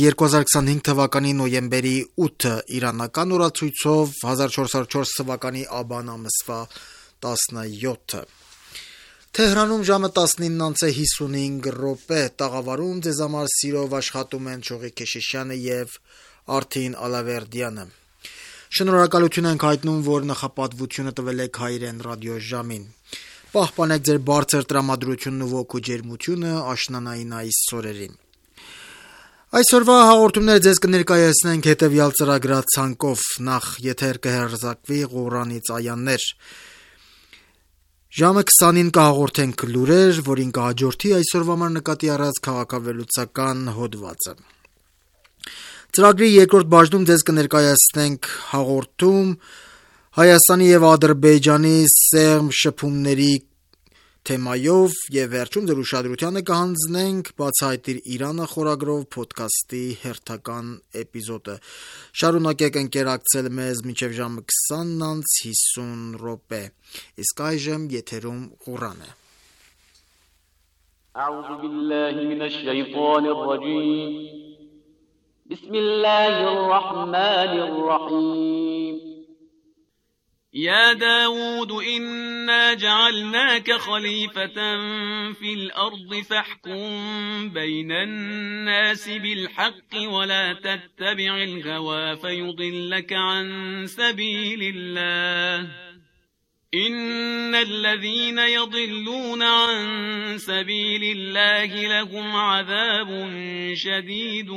2025 թվականի նոյեմբերի 8-ը իրանական օրացույցով 1404 թվականի աբան ամսվա 17-ը։ Թեհրանում ժամը 19:55, տաղավարում ձեզ համար սիրով աշխատում են Չողիկ Քեշիշյանը եւ Արթին Ալավերդյանը։ Շնորհակալություն ենք հայտնում, որ նախապատվությունը տվել եք Հայրեն ռադիոժամին։ Պահպանեք ձեր բարձր տրամադրությունն ու ոգու ջերմությունը աշնանային այս օրերին։ Այսօրվա հաղորդումները ձեզ կներկայացնենք հետևյալ ծրագրացանկով. նախ եթեր կհեռարձակվի Ղուրանից այաներ, ժամը 20-ին կհաղորդենք լուրեր, որին կհաջորդի այսօրվա համար նկատի առած քաղաքավերլուծական հոդվածը։ Ծրագրի երկրորդ բաժնում ձեզ կներկայացնենք հաղորդում Հայաստանի եւ Ադրբեջանի սերմ շփումների թեմայով եւ վերջում ձեր ուշադրությանը կհանձնենք «Բացահայտիր Իրանը» խորագրով փոդքասթի հերթական էպիզոդը։ Շարունակեք ընկերակցել մեզ մինչև ժամը 20:50։ Իսկ այժմ եթերում Ղուրան է։ أعوذ بالله من الشيطان الرجيم بسم الله الرحمن الرحيم يا داود إنا جعلناك خليفة في الأرض فاحكم بين الناس بالحق ولا تتبع الهوى فيضلك عن سبيل الله إن الذين يضلون عن سبيل الله لهم عذاب شديد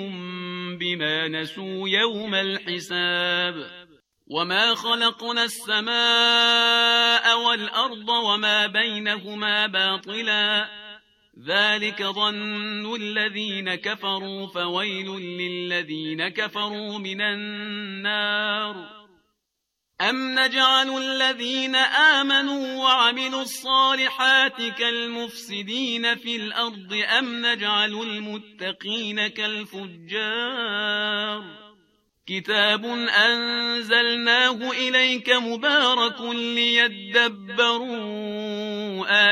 بما نسوا يوم الحساب وما خلقنا السماء والأرض وما بينهما باطلا ذلك ظن الذين كفروا فويل للذين كفروا من النار أم نجعل الذين آمنوا وعملوا الصالحات كالمفسدين في الأرض أم نجعل المتقين كالفجار كتاب أنزلناه إليك مبارك ليدبروا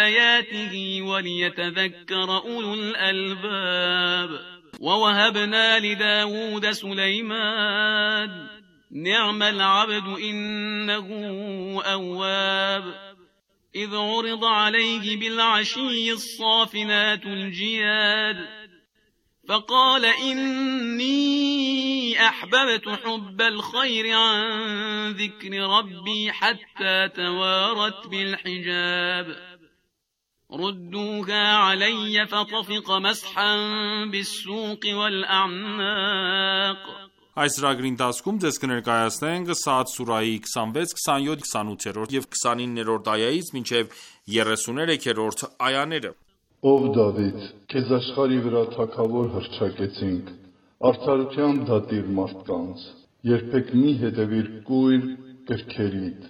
آياته وليتذكر أولو الألباب ووهبنا لداود سليمان نعم العبد إنه أواب إذ عرض عليه بالعشي الصافنات الجياد فقال إني أحببت حب الخير عن ذكر ربي حتى توارت بالحجاب ردوها علي فطفق مسحا بالسوق والأعناق Այս ծրագրի ընթացքում ձեզ կներկայացնենք Սաադ սուրահի 26, 27, 28 եւ 29-րդ այայից մինչեւ 33-րդ այաները։ Ով Դավիթ, քեզ աշխարհի վրա թագավոր հռչակեցինք, արդարության դատիր մարդկանց, երբեք մի հետևիր կույր կրքերիդ,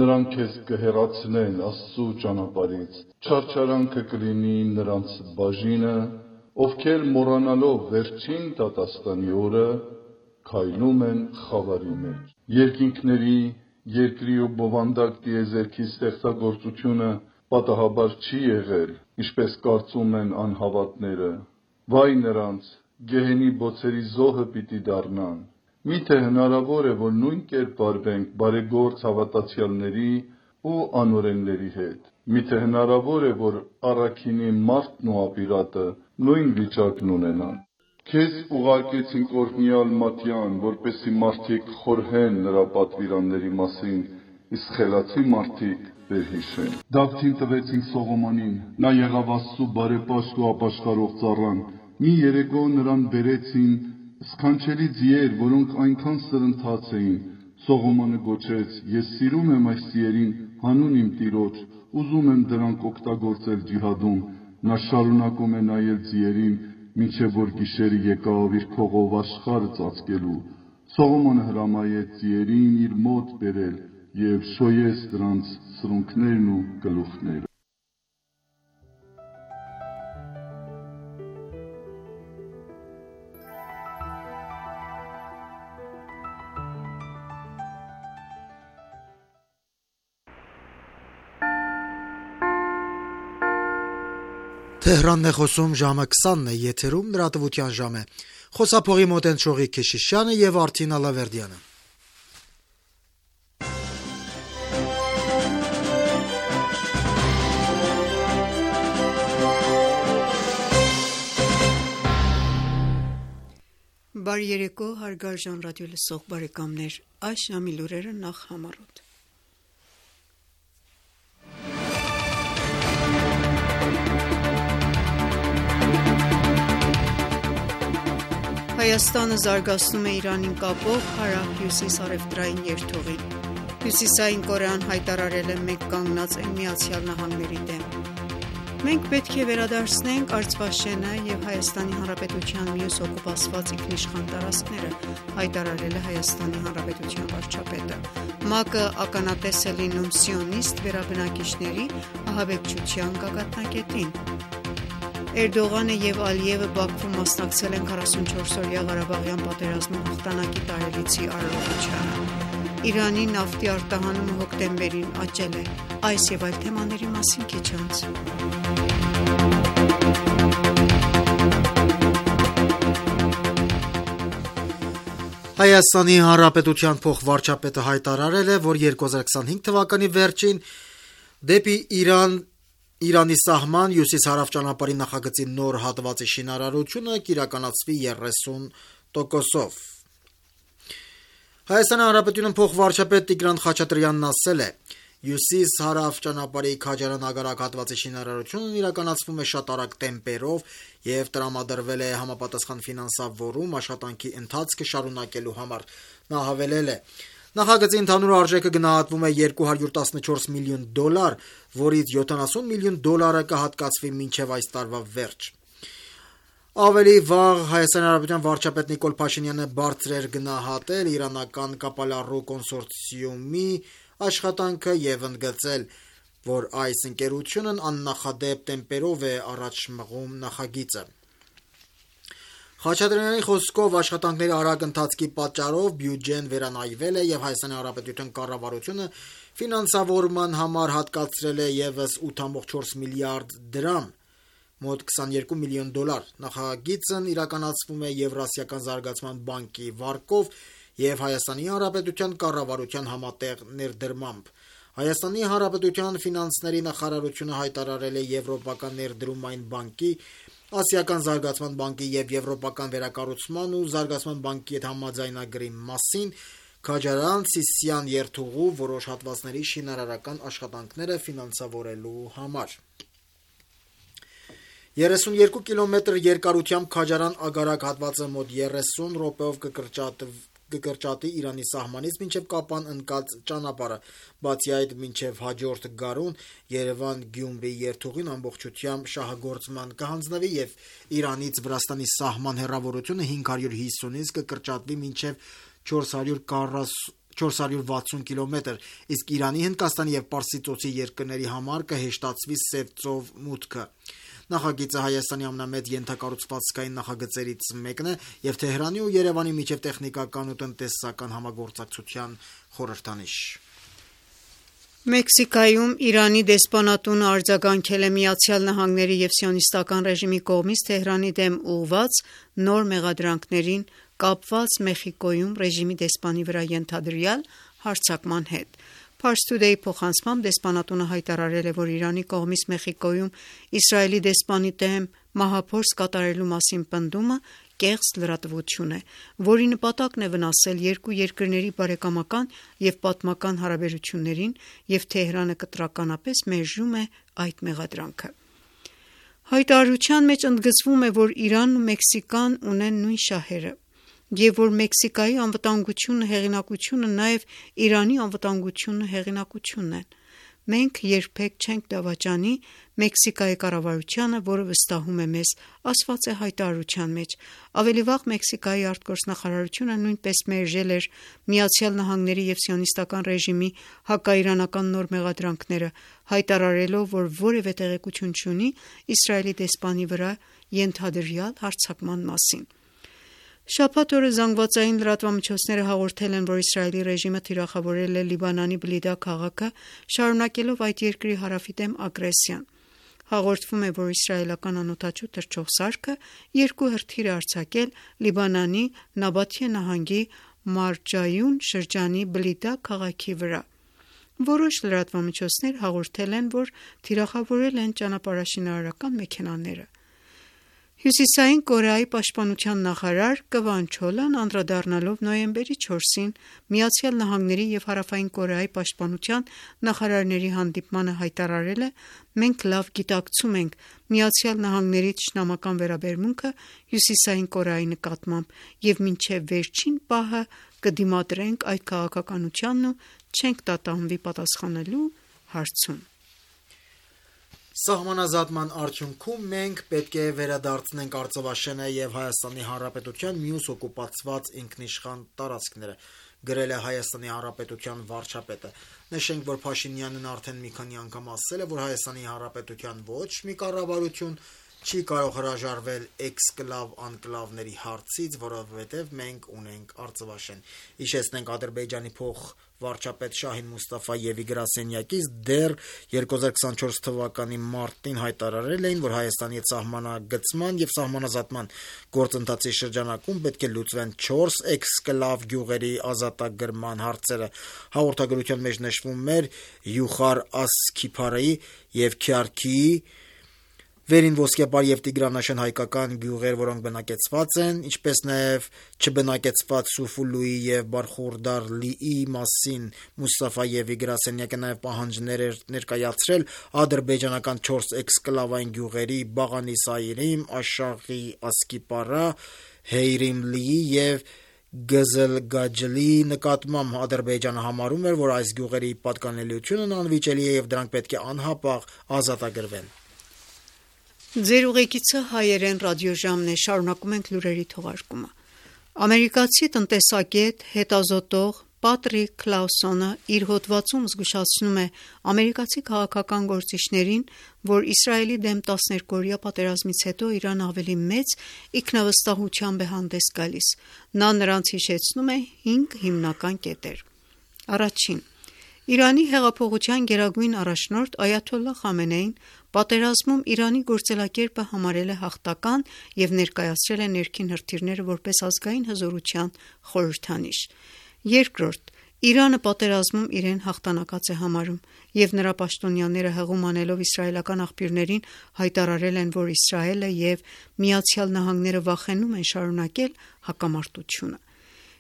նրանք քեզ կհեռացնեն Աստծու ճանապարհից, չարչարանքը կլինի նրանց բաժինը, ովքեր մոռանալով վերջին դատաստանի օրը քայլում են խավարի մեջ։ Երկինքների, երկրի ու բովանդակ տիեզերքի ստեղծագործությունը պատահաբար չի եղել, ինչպես կարծում են անհավատները։ Վայ նրանց, գեհենի բոցերի զոհը պիտի դառնան։ Միթե հնարավոր է, որ նույն կերպ վարվենք բարեգործ հավատացյալների ու անօրենների հետ։ Միթե հնարավոր է, որ առաքինի մարդն ու ապիրատը նույն վիճակն ունենան։ Քեզ ուղարկեցինք օրհնյալ Մատյան, որպեսզի մարդիկ խորհեն նրա պատվիրանների մասին, իսկ խելացի մարդիկ վերհիշեն։ Դավթին տվեցինք Սողոմոնին, նա եղավ Աստծու բարեպաշտ ու ապաշխարող ծառան։ Մի երեկո նրան բերեցին սքանչելի ձիեր, որոնք այնքան սրընթաց էին։ Սողոմոնը գոչեց. Ես սիրում եմ այս ձիերին հանուն իմ Տիրոջ, ուզում եմ դրանք օգտագործել ջիհադում։ Նա շարունակում է նայել ձիերին, մինչև որ գիշերը եկավ իր քողով աշխարհը ծածկելու։ Սողոմոնը հրամայեց ձիերին իր մոտ բերել եւ շոյեց դրանց սրունքներն ու գլուխները։ Թեհրանն է խոսում ժամը 20-ն է, եթերում լրատվության ժամ է։ Խոսափողի Մոտենչողի Քեշիշյանը եւ Արթին Ալավերդյանը։ Բարի երեկո, հարգարժան ռադիո լսող բարեկամներ, այս ժամի լուրերը նախ համառոտ։ Հայաստանը զարգացնում է Իրանին կապող հարավ-հյուսիս առևտրային երթուղին։ Հյուսիսային Կորեան հայտարարել է մեկ կանգնած ԱՄՆ-ի դեմ։ Մենք պետք է վերադարձնենք Արցվաշենը եւ Հայաստանի Հանրապետության մյուս օկուպացված ինքնիշխան տարածքները, հայտարարել է Հայաստանի Հանրապետության վարչապետը։ ՄԱԿ-ը ականատես է լինում սիոնիստ վերաբնակիչների ահաբեկչության գագաթնակետին։ Էրդողանը եւ Ալիևը Բաքվում մասնակցել են 44-օրյա Ղարաբաղյան պատերազմի հաղթանակի տարելիցի արարողությանը։ Իրանի նավթի արտահանումը հոկտեմբերին աճել է։ Այս եւ այլ թեմաների մասին քիչ անց։ Հայաստանի Հանրապետության փոխվարչապետը հայտարարել է, որ 2025 թվականի վերջին դեպի Իրանի սահման հյուսիս-հարավ ճանապարհի նախագծի նոր հատվածի շինարարությունը կիրականացվի 30%-ով։ Հայաստանի Հանրապետության փոխվարչապետ Տիգրան Խաչատրյանն ասել է. Հյուսիս-հարավ ճանապարհի Քաջարան ագարակ հատվածի շինարարությունն իրականացվում է շատ արագ տեմպերով եւ տրամադրվել է համապատասխան ֆինանսավորում աշխատանքի ընթացքը շարունակելու համար։ Նա հավելել է. Նախագծի ընդհանուր արժեքը գնահատվում է $214 միլիոն, որից $70 միլիոն կհատկացվի մինչև այս տարվա վերջ։ Ավելի վաղ Հայաստանի Հանրապետության վարչապետ Նիկոլ Փաշինյանը բարձր էր գնահատել իրանական կապալառու կոնսորցիումի աշխատանքը եւ ընդգծել, որ այս ընկերությունն աննախադեպ տեմպերով է առաջ մղում նախագիծը։ Խաչատրյանի խոսքով աշխատանքների արագ ընթացքի պատճառով բյուջեն վերանայվել է եւ Հայաստանի Հանրապետության կառավարությունը ֆինանսավորման համար հատկացրել է եւս 8.4 միլիարդ դրամ, մոտ $22 միլիոն։ Նախագիծն իրականացվում է Եվրասիական զարգացման բանկի վարկով եւ Հայաստանի Հանրապետության կառավարության համատեղ ներդրմամբ։ Հայաստանի Հանրապետության ֆինանսների նախարարությունը հայտարարել է Եվրոպական ներդրումային բանկի, Ասիական զարգացման բանկի եւ Եվրոպական վերակառուցման ու զարգացման բանկի հետ համաձայնագրի մասին Քաջարան-Սիսիան երթուղու որոշ հատվածների շինարարական աշխատանքները ֆինանսավորելու համար։ 32 կիլոմետր երկարությամբ Քաջարան ագարակ հատվածը մոտ 30 րոպեով կկրճատի Իրանի սահմանից մինչև Կապան ընկած ճանապարհը, բացի այդ մինչև հաջորդ գարուն Երևան-Գյումրի երթուղին ամբողջությամբ շահագործման կհանձնվի եւ Իրանից Վրաստանի սահման հեռավորությունը 550-ից կկրճատվի մինչև 460 կիլոմետր, իսկ Իրանի, Հնդկաստանի եւ Պարսից ծոցի երկրների համար կհեշտացվի Սև ծով մուտքը։ Նախագիծը Հայաստանի ամենամեծ ենթակառուցվածքային նախագծերից մեկն է եւ Թեհրանի ու Երևանի միջև տեխնիկական ու տնտեսական համագործակցության խորհրդանիշ։ Մեքսիկայում Իրանի դեսպանատունը արձագանքել է ԱՄՆ-ի եւ սիոնիստական ռեժիմի կողմից Թեհրանի դեմ ուղղված նոր մեղադրանքներին կապված Մեխիկոյում ռեժիմի դեսպանի վրա ենթադրյալ հարձակման հետ։ Pars Today փոխանցմամբ դեսպանատունը հայտարարել է, որ Իրանի կողմից Մեխիկոյում Իսրայելի դեսպանի դեմ մահափորձ կատարելու մասին պնդումը կեղծ լրատվություն է, որի նպատակն է վնասել երկու երկրների բարեկամական եւ պատմական հարաբերություններին եւ Թեհրանը կտրականապես մերժում է այդ մեղադրանքը։ Հայտարարության մեջ ընդգծվում է, որ Իրանն ու Մեքսիկան ունեն նույն շահերը եւ որ Մեքսիկայի անվտանգությունը հեղինակությունը նաեւ Իրանի անվտանգությունը հեղինակությունն են։ Մենք երբեք չենք դավաճանի Մեքսիկայի կառավարությանը, որը վստահում է մեզ, ասված է հայտարարության մեջ։ Ավելի վաղ Մեքսիկայի արտգործնախարարությունը նույնպես մերժել էր ԱՄՆ-ի եւ սիոնիստական ռեժիմի հակաիրանական նոր մեղադրանքները, հայտարարելով, որ որևէ տեղեկություն չունի Իսրայելի դեսպանի վրա ենթադրյալ հարձակման մասին։ Շաբաթ օրը զանգվածային լրատվամիջոցները հաղորդել են, որ Իսրայելի ռեժիմը թիրախավորել է Լիբանանի Բլիդա քաղաքը, շարունակելով այդ երկրի հարավի դեմ ագրեսիան։ հաղորդվում է, որ իսրայելական անօդաչու թռչող սարքը 2 հրթիռ է արձակել Լիբանանի Նաբաթիե նահանգի Մարջայուն շրջանի Բլիդա քաղաքի վրա։ Որոշ լրատվամիջոցներ հաղորդել են, որ թիրախավորել են ճանապարհաշինարարական մեքենաները։ Հյուսիսային Կորեայի պաշտպանության նախարար Կվան Չոլան անդրադառնալով նոյեմբերի 4-ին ԱՄՆ-ի և Հարավային Կորեայի պաշտպանության նախարարների հանդիպմանը հայտարարել է. «Մենք լավ գիտակցում ենք ԱՄՆ-ի թշնամական վերաբերմունքը Հյուսիսային Կորեայի նկատմամբ և մինչև վերջին պահը կդիմադրենք այդ քաղաքականությանն ու չենք տատանվի պատասխանելու հարցում»։ Սահմանազատման արդյունքում մենք պետք է վերադարձնենք Արցախաշենը և Հայաստանի Հանրապետության մյուս օկուպացված ինքնիշխան տարածքները, գրել է Հայաստանի Հանրապետության վարչապետը։ Նշենք, որ Փաշինյանն արդեն մի քանի անգամ ասել է, որ Հայաստանի Հանրապետության ոչ մի կառավարություն չի կարող հրաժարվել էքսկլավ-անկլավների հարցից, որովհետև մենք ունենք Արցախաշեն։ Հիշեցնենք, Ադրբեջանի փոխվարչապետ Շահին Մուստաֆայևի գրասենյակից դեռ 2024 թվականի մարտին հայտարարել էին, որ Հայաստանի սահմանագծման և սահմանազատման գործընթացի շրջանակում պետք է լուծվեն 4 էքսկլավ գյուղերի ազատագրման հարցերը։ Հաղորդագրության մեջ նշվում էր Յուխար Ասքիփարի և Քյարքիի Վերին Ոսկեպար և Տիգրանաշեն հայկական գյուղեր, որոնք բնակեցված են, ինչպես նաև չբնակեցված Սուֆուլուի և Բարխուրդարլիի մասին Մուստաֆայևի գրասենյակը նաև պահանջներ էր ներկայացրել ադրբեջանական 4 էքսկլավային գյուղերի Բաղանիսայրիմ, Աշաղի Ասկիպարա, Հեյրիմլիի և Գզլգաջլի նկատմամբ։ Ադրբեջանը համարում էր, որ այս գյուղերի պատկանելիությունն անվիճելի է և դրանք պետք է անհապաղ ազատագրվեն։ Ձեր ուղեկիցը հայերեն ռադիոժամն է, շարունակում ենք լուրերի թողարկումը։ Ամերիկացի տնտեսագետ, հետազոտող Պատրիկ Քլաուսոնը իր հոդվածում զգուշացնում է ամերիկացի քաղաքական գործիչներին, որ Իսրայելի դեմ 12-օրյա պատերազմից հետո Իրանը ավելի մեծ ինքնավստահությամբ է հանդես գալիս։ Նա նրանց հիշեցնում է 5 հիմնական կետեր։ Առաջին. Իրանի հեղափոխության գերագույն առաջնորդ Այաթոլլահ Խամենեին պատերազմում Իրանի գործելակերպը համարել է հաղթական և ներկայացրել է ներքին հրթիռները որպես ազգային հզորության խորհրդանիշ։ Երկրորդ. Իրանը պատերազմում իրեն հաղթանակած է համարում, և նրա պաշտոնյաները հղում անելով իսրայելական աղբյուրներին հայտարարել են, որ Իսրայելը և ԱՄՆ-ը վախենում են շարունակել հակամարտությունը։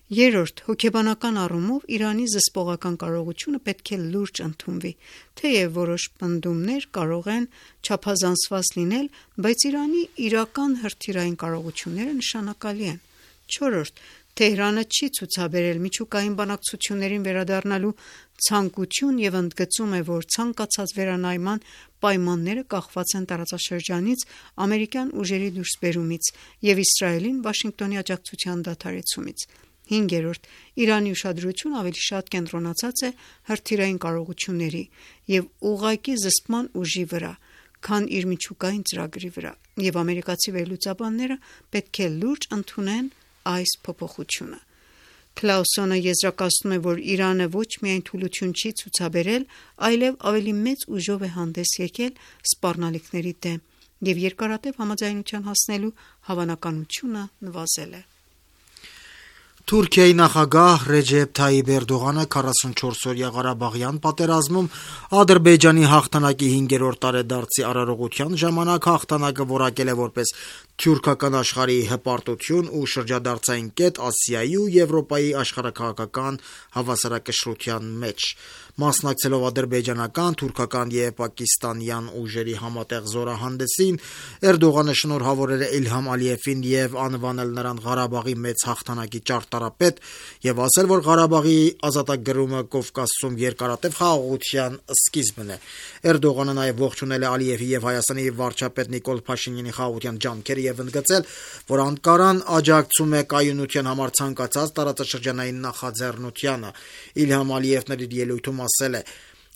Երրորդ. հոգեբանական առումով Իրանի զսպողական կարողությունը պետք է լուրջ ընդունվի, թեև որոշ պնդումներ կարող են չափազանցված լինել, բայց Իրանի իրական հրթիռային կարողությունները նշանակալի են։ Չորրորդ. Թեհրանը չի ցուցաբերել միջուկային բանակցություններին վերադառնալու ցանկություն և ընդգծում է, որ ցանկացած վերանայման պայմանները կախված են տարածաշրջանից ամերիկյան ուժերի դուրսբերումից և Իսրայելին Վաշինգտոնի աջակցության դադարեցումից։ 5. Իրանի ուշադրությունը ավելի շատ կենտրոնացած է հրթիռային կարողությունների և ուղղակի զսպման ուժի վրա, քան իր միջուկային ծրագրի վրա, և ամերիկացի վերլուծաբանները պետք է լուրջ ընդունեն այս փոփոխությունը։ Քլաուսոնը եզրակացնում է, որ Իրանը ոչ միայն թուլություն չի ցուցաբերել, այլև ավելի մեծ ուժով է հանդես եկել սպառնալիքների դեմ և երկարատև համաձայնության հասնելու հավանականությունը նվազել է։ Թուրքիայի նախագահ Ռեջեփ Թայիփ Էրդողանը 44-օրյա Ղարաբաղյան պատերազմում Ադրբեջանի հաղթանակի 5-րդ տարեդարձի արարողության ժամանակ հաղթանակը որակել է որպես թյուրքական աշխարհի հպարտություն ու շրջադարձային կետ Ասիայի ու Եվրոպայի աշխարհաքաղաքական հավասարակշռության մեջ։ Մասնակցելով ադրբեջանական, թուրքական և պակիստանյան ուժերի համատեղ զորահանդեսին, Էրդողանը շնորհավորել է Իլհամ Ալիևին և անվանել նրան Ղարաբաղի մեծ հաղթանակի ճարտարապետ և ասել, որ Ղարաբաղի ազատագրումը Կովկասում երկարատև խաղաղության սկիզբն է։ Էրդողանը նաև ողջունել է Ալիևի և Հայաստանի վարչապետ Նիկոլ Փաշինյանի խաղաղության ջանքերը և ընդգծել, որ Անկարան աջակցում է կայունության համար ցանկացած տարածաշրջանային նախաձեռնությանը։ Իլհամ Ալիևն իր ելույթում ասել է.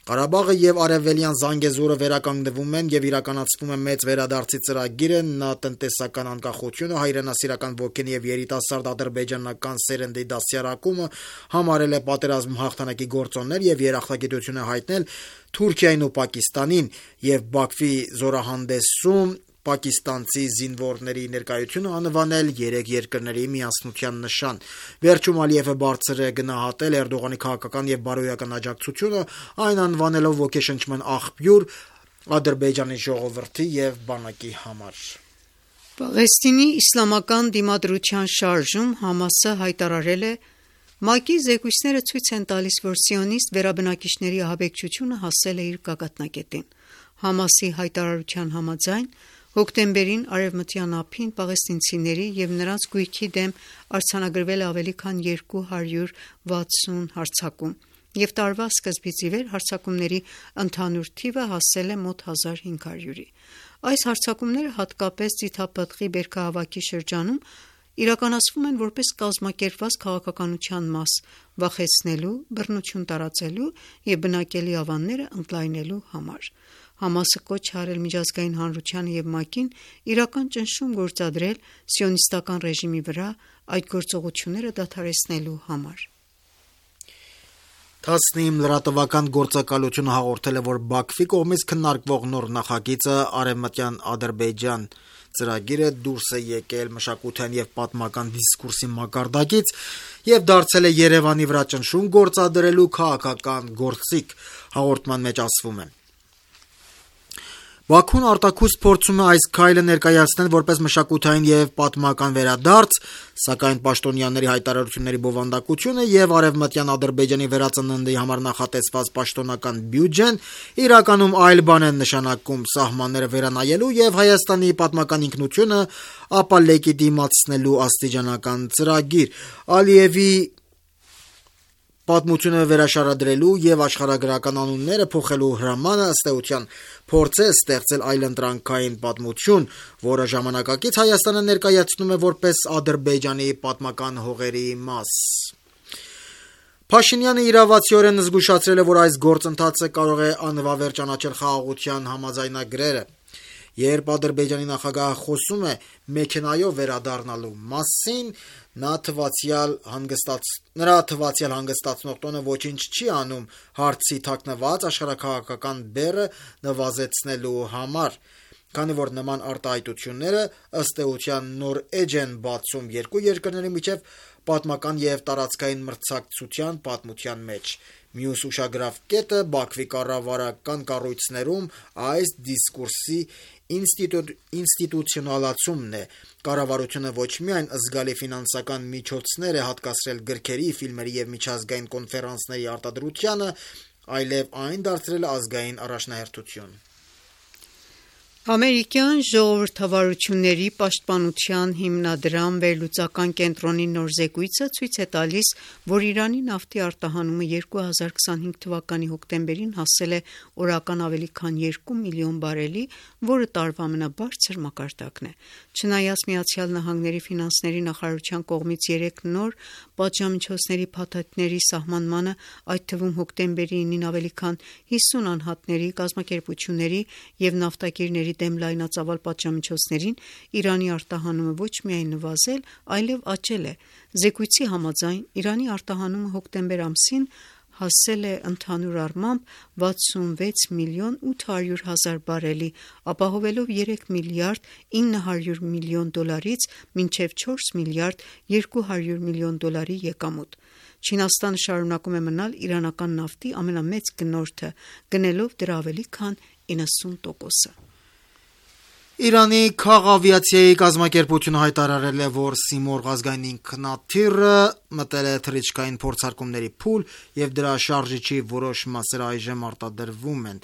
Ղարաբաղը եւ Արևելյան Զանգեզուրը վերականգնվում են եւ իրականացվում է մեծ վերադարձի ծրագիրը, նա տնտեսական անկախությունը, հայրենասիրական ոգին եւ երիտասարդ ադրբեջանական սերնդի դասյարակումը համարել է պատերազմ հաղթանակի գործոններ եւ երախտագիտություն է հայտնել Թուրքիային ու Պակիստանին եւ Բաքվի զորահանդեսում պակիստանցի զինվորների ներկայությունը անվանել երեք երկրների միասնության նշան։ Վերջում Ալիևը բարձր է գնահատել Էրդողանի քաղաքական եւ բարոյական աջակցությունը, այն անվանելով ոգեշնչման աղբյուր Ադրբեջանի ժողովրդի եւ բանակի համար։ Պաղեստինի իսլամական դիմադրության շարժում Համասը հայտարարել է. ՄԱԿ-ի զեկույցները ցույց են տալիս, որ սիոնիստ վերաբնակիչների ահաբեկչությունը հասել է իր գագաթնակետին։ Համասի հայտարարության համաձայն հոկտեմբերին Արևմտյան ափին պաղեստինցիների եւ նրանց գույքի դեմ արձանագրվել է ավելի քան 260 հարձակում, եւ տարվա սկզբից ի վեր հարձակումների ընդհանուր թիվը հասել է մոտ 1500-ի։ Այս հարձակումները հատկապես Ձիթապտղի բերքահավաքի շրջանում իրականացվում են որպես կազմակերպված քաղաքականության մաս, վախեցնելու, բռնություն տարածելու եւ բնակելի ավանները ընդլայնելու համար։ Համասը կոչ է արել միջազգային հանրությանը եւ ՄԱԿ-ին իրական ճնշում գործադրել սիոնիստական ռեժիմի վրա այդ գործողությունները դադարեցնելու համար։ Թասնիմ լրատվական գործակալությունը հաղորդել է, որ Բաքվի կողմից քննարկվող նոր նախագիծը Արևմտյան Ադրբեջան ծրագիրը դուրս է եկել մշակութային եւ պատմական դիսկուրսի մակարդակից եւ դարձել է Երևանի վրա ճնշում գործադրելու քաղաքական գործիք, հաղորդման մեջ ասվում է։ Բաքուն արտաքուստ փորձում է այս քայլը ներկայացնել որպես մշակութային եւ պատմական վերադարձ, սակայն պաշտոնյաների հայտարարությունների բովանդակությունը եւ Արևմտյան Ադրբեջանի վերածննդի համար նախատեսված պաշտոնական բյուջեն իրականում այլ բան են նշանակում՝ սահմանները վերանայելու եւ Հայաստանի պատմական ինքնությունը ապա լեգիտիմացնելու աստիճանական ծրագիր։ Ալիևի պատմությունը վերաշարադրելու եւ աշխարհագրական անունները փոխելու հրամանը ըստ էության փորձ է ստեղծել այլընտրանքային պատմություն, որը ժամանակակից Հայաստանը ներկայացնում է որպես Ադրբեջանի պատմական հողերի մաս։ Փաշինյանը իրավացիորեն զգուշացրել է, որ այս գործընթացը կարող է անվավեր ճանաչել խաղաղության համաձայնագրերը։ Երբ Ադրբեջանի նախագահը խոսում է մեքենայով վերադառնալու մասին, նրա թվացial հանգստացնող տոնը ոչինչ չի անում հարցի թաքնված աշխարհաքաղաքական բեռը նվազեցնելու համար, քանի որ նման արտահայտությունները ըստ էության նոր էջ են բացում երկու երկրների միջև պատմական եւ տարածքային մրցակցության պատմության մեջ։ Մյուս ուշագրավ կետը Բաքվի կառավարական կառույցներում այս դիսկուրսի ինստիտուցիոնալացումն է։ Կառավարությունը ոչ միայն զգալի ֆինանսական միջոցներ է հատկացրել գրքերի, ֆիլմերի եւ միջազգային կոնֆերանսների արտադրությանը, այլև այն դարձրել է ազգային առաջնահերթություն։ Ամերիկյան ժողովրդավարությունների պաշտպանության հիմնադրամ վերլուծական կենտրոնի նոր զեկույցը ցույց է տալիս, որ Իրանի նավթի արտահանումը 2025 թվականի հոկտեմբերին հասել է օրական ավելի քան 2 միլիոն բարելի, որը տարվա ամենաբարձր մակարդակն է։ Չնայած ԱՄՆ ֆինանսների նախարարության կողմից 3 նոր պատժամիջոցների փաթեթների սահմանմանը, այդ թվում հոկտեմբերի 9-ին ավելի քան 50 անհատների, կազմակերպությունների եւ նավթակիրների դեմ լայնածավալ պատժամիջոցներին, Իրանի արտահանումը ոչ միայն նվազել, այլև աճել է։ Զեկույցի համաձայն Իրանի արտահանումը հոկտեմբեր ամսին հասել է ընդհանուր առմամբ 66 միլիոն 800 հազար բարելի, ապահովելով 3 միլիարդ 900 միլիոն դոլարից մինչև 4 միլիարդ 200 միլիոն դոլարի եկամուտ։ Չինաստանը շարունակում է մնալ իրանական նավթի ամենամեծ գնորդը, գնելով դրա ավելի քան 90%-ը։ Իրանի քաղավիացիայի կազմակերպությունը հայտարարել է, որ Սիմորղ ազգային ինքնաթիռը մտել է թռիչքային փորձարկումների փուլ եւ դրա շարժիչի որոշ մասեր այժմ արտադրվում են։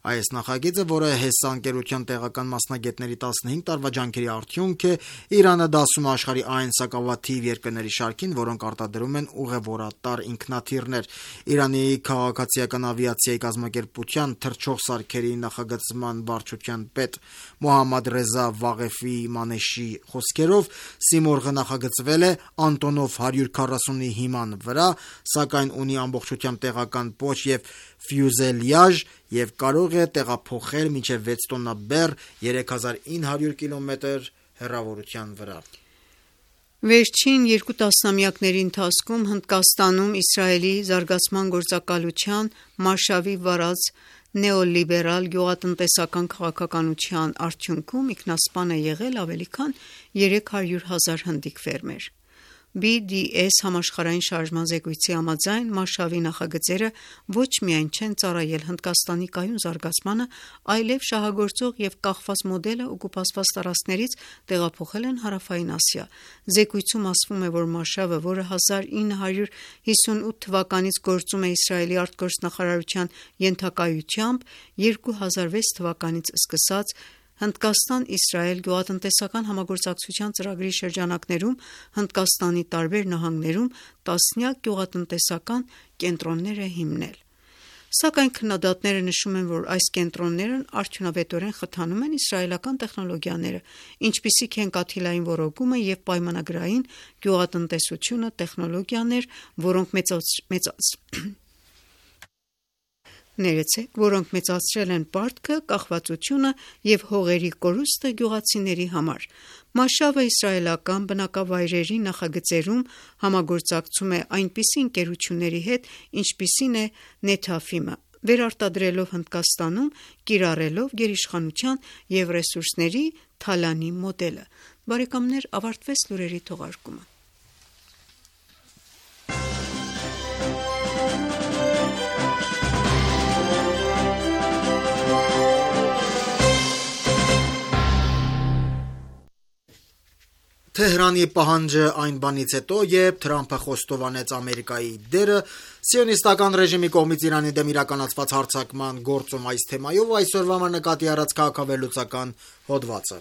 Այս նախագիծը, որը ՀԵՍ ընկերության տեղական մասնագետների 15 տարվա ջանքերի արդյունք է, Իրանը դասում է աշխարհի այն սակավաթիվ երկրների շարքին, որոնք արտադրում են ուղևորատար ինքնաթիռներ։ Իրանի քաղաքացիական ավիացիայի կազմակերպության թռչող սարքերի նախագծման վարչության պետ Մոհամմադ Ռեզա Վաղեֆի Մանեշի խոսքերով, Սիմորղը նախագծվել է Անտոնով 140-ի հիման վրա, սակայն ունի ամբողջությամբ տեղական պոչ եւ ֆյուզելյաժ եւ կարող է տեղափոխել մինչեւ 6 տոննա բեռ 3900 կիլոմետր հեռավորության վրա։ Վերջին 2 տասնամյակների ընթացքում Հնդկաստանում Իսրայելի զարգացման գործակալության Մարշավի վարած նեոլիբերալ գյուղատնտեսական քաղաքականության արդյունքում ինքնասպան է եղել ավելի քան 300,000 հնդիկ ֆերմեր։ BDS համաշխարհային շարժման զեկույցի համաձայն Մարշավի նախագծերը ոչ միայն չեն ծառայել Հնդկաստանի կայուն զարգացմանը, այլև շահագործող եւ կախված մոդելը օկուպացված տարածքներից տեղափոխել են Հարավային Ասիա։ Զեկույցում ասվում է, որ Մարշավը, որը 1958 թվականից գործում է Իսրայելի արտգործնախարարության ենթակայությամբ, 2006 թվականից սկսած Հնդկաստան-Իսրայել գյուղատնտեսական համագործակցության ծրագրի շրջանակներում Հնդկաստանի տարբեր նահանգներում տասնյակ գյուղատնտեսական կենտրոններ է հիմնել։ Սակայն քննադատները նշում են, որ այս կենտրոններն արդյունավետորեն խթանում են իսրայելական տեխնոլոգիաները, ինչպիսիք են կաթիլային ոռոգումը եւ պայմանագրային գյուղատնտեսությունը, տեխնոլոգիաներ, որոնք մեծացրել են պարտքը, կախվածությունը եւ հողերի կորուստը գյուղացիների համար։ Մարշավը իսրայելական բնակավայրերի նախագծերում համագործակցում է այնպիսի ընկերությունների հետ, ինչպիսին է Նեթաֆիմը, վերարտադրելով Հնդկաստանում, կիրառելով գերիշխանության եւ ռեսուրսների թալանի մոդելը։ Բարեկամներ, ավարտվեց լուրերի թողարկումը։ Թեհրանի պահանջը այն բանից հետո, երբ Թրամփը խոստովանեց Ամերիկայի դերը սիոնիստական ռեժիմի կողմից Իրանի դեմ իրականացված հարձակման գործում այս թեմայով, այսօրվա համար նկատի առած քաղաքավերլուծական հոդվածը։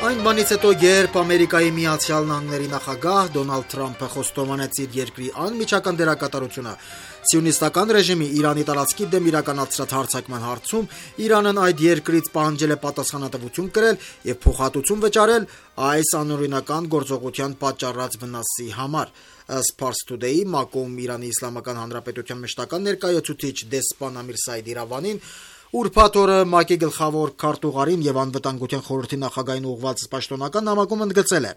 Այն բանից հետո, երբ Ամերիկայի Միացյալ Նահանգների նախագահ Դոնալդ Թրամփը խոստովանեց իր երկրի անմիջական դերակատարությունը սիոնիստական ռեժիմի Իրանի տարածքի դեմ իրականացրած հարձակման հարցում, Իրանն այդ երկրից պահանջել է պատասխանատվություն կրել եւ փոխհատուցում վճարել այս անօրինական գործողության պատճառած վնասի համար։ Ըստ Pars Today-ի ՄԱԿ-ում Իրանի Իսլամական Հանրապետության մշտական ներկայացուցիչ դեսպան Ամիր Սայեդ Իրավանին ուրբաթ օրը ՄԱԿ-ի գլխավոր քարտուղարին եւ անվտանգության խորհրդի նախագահին ուղղված պաշտոնական նամակում ընդգծել է.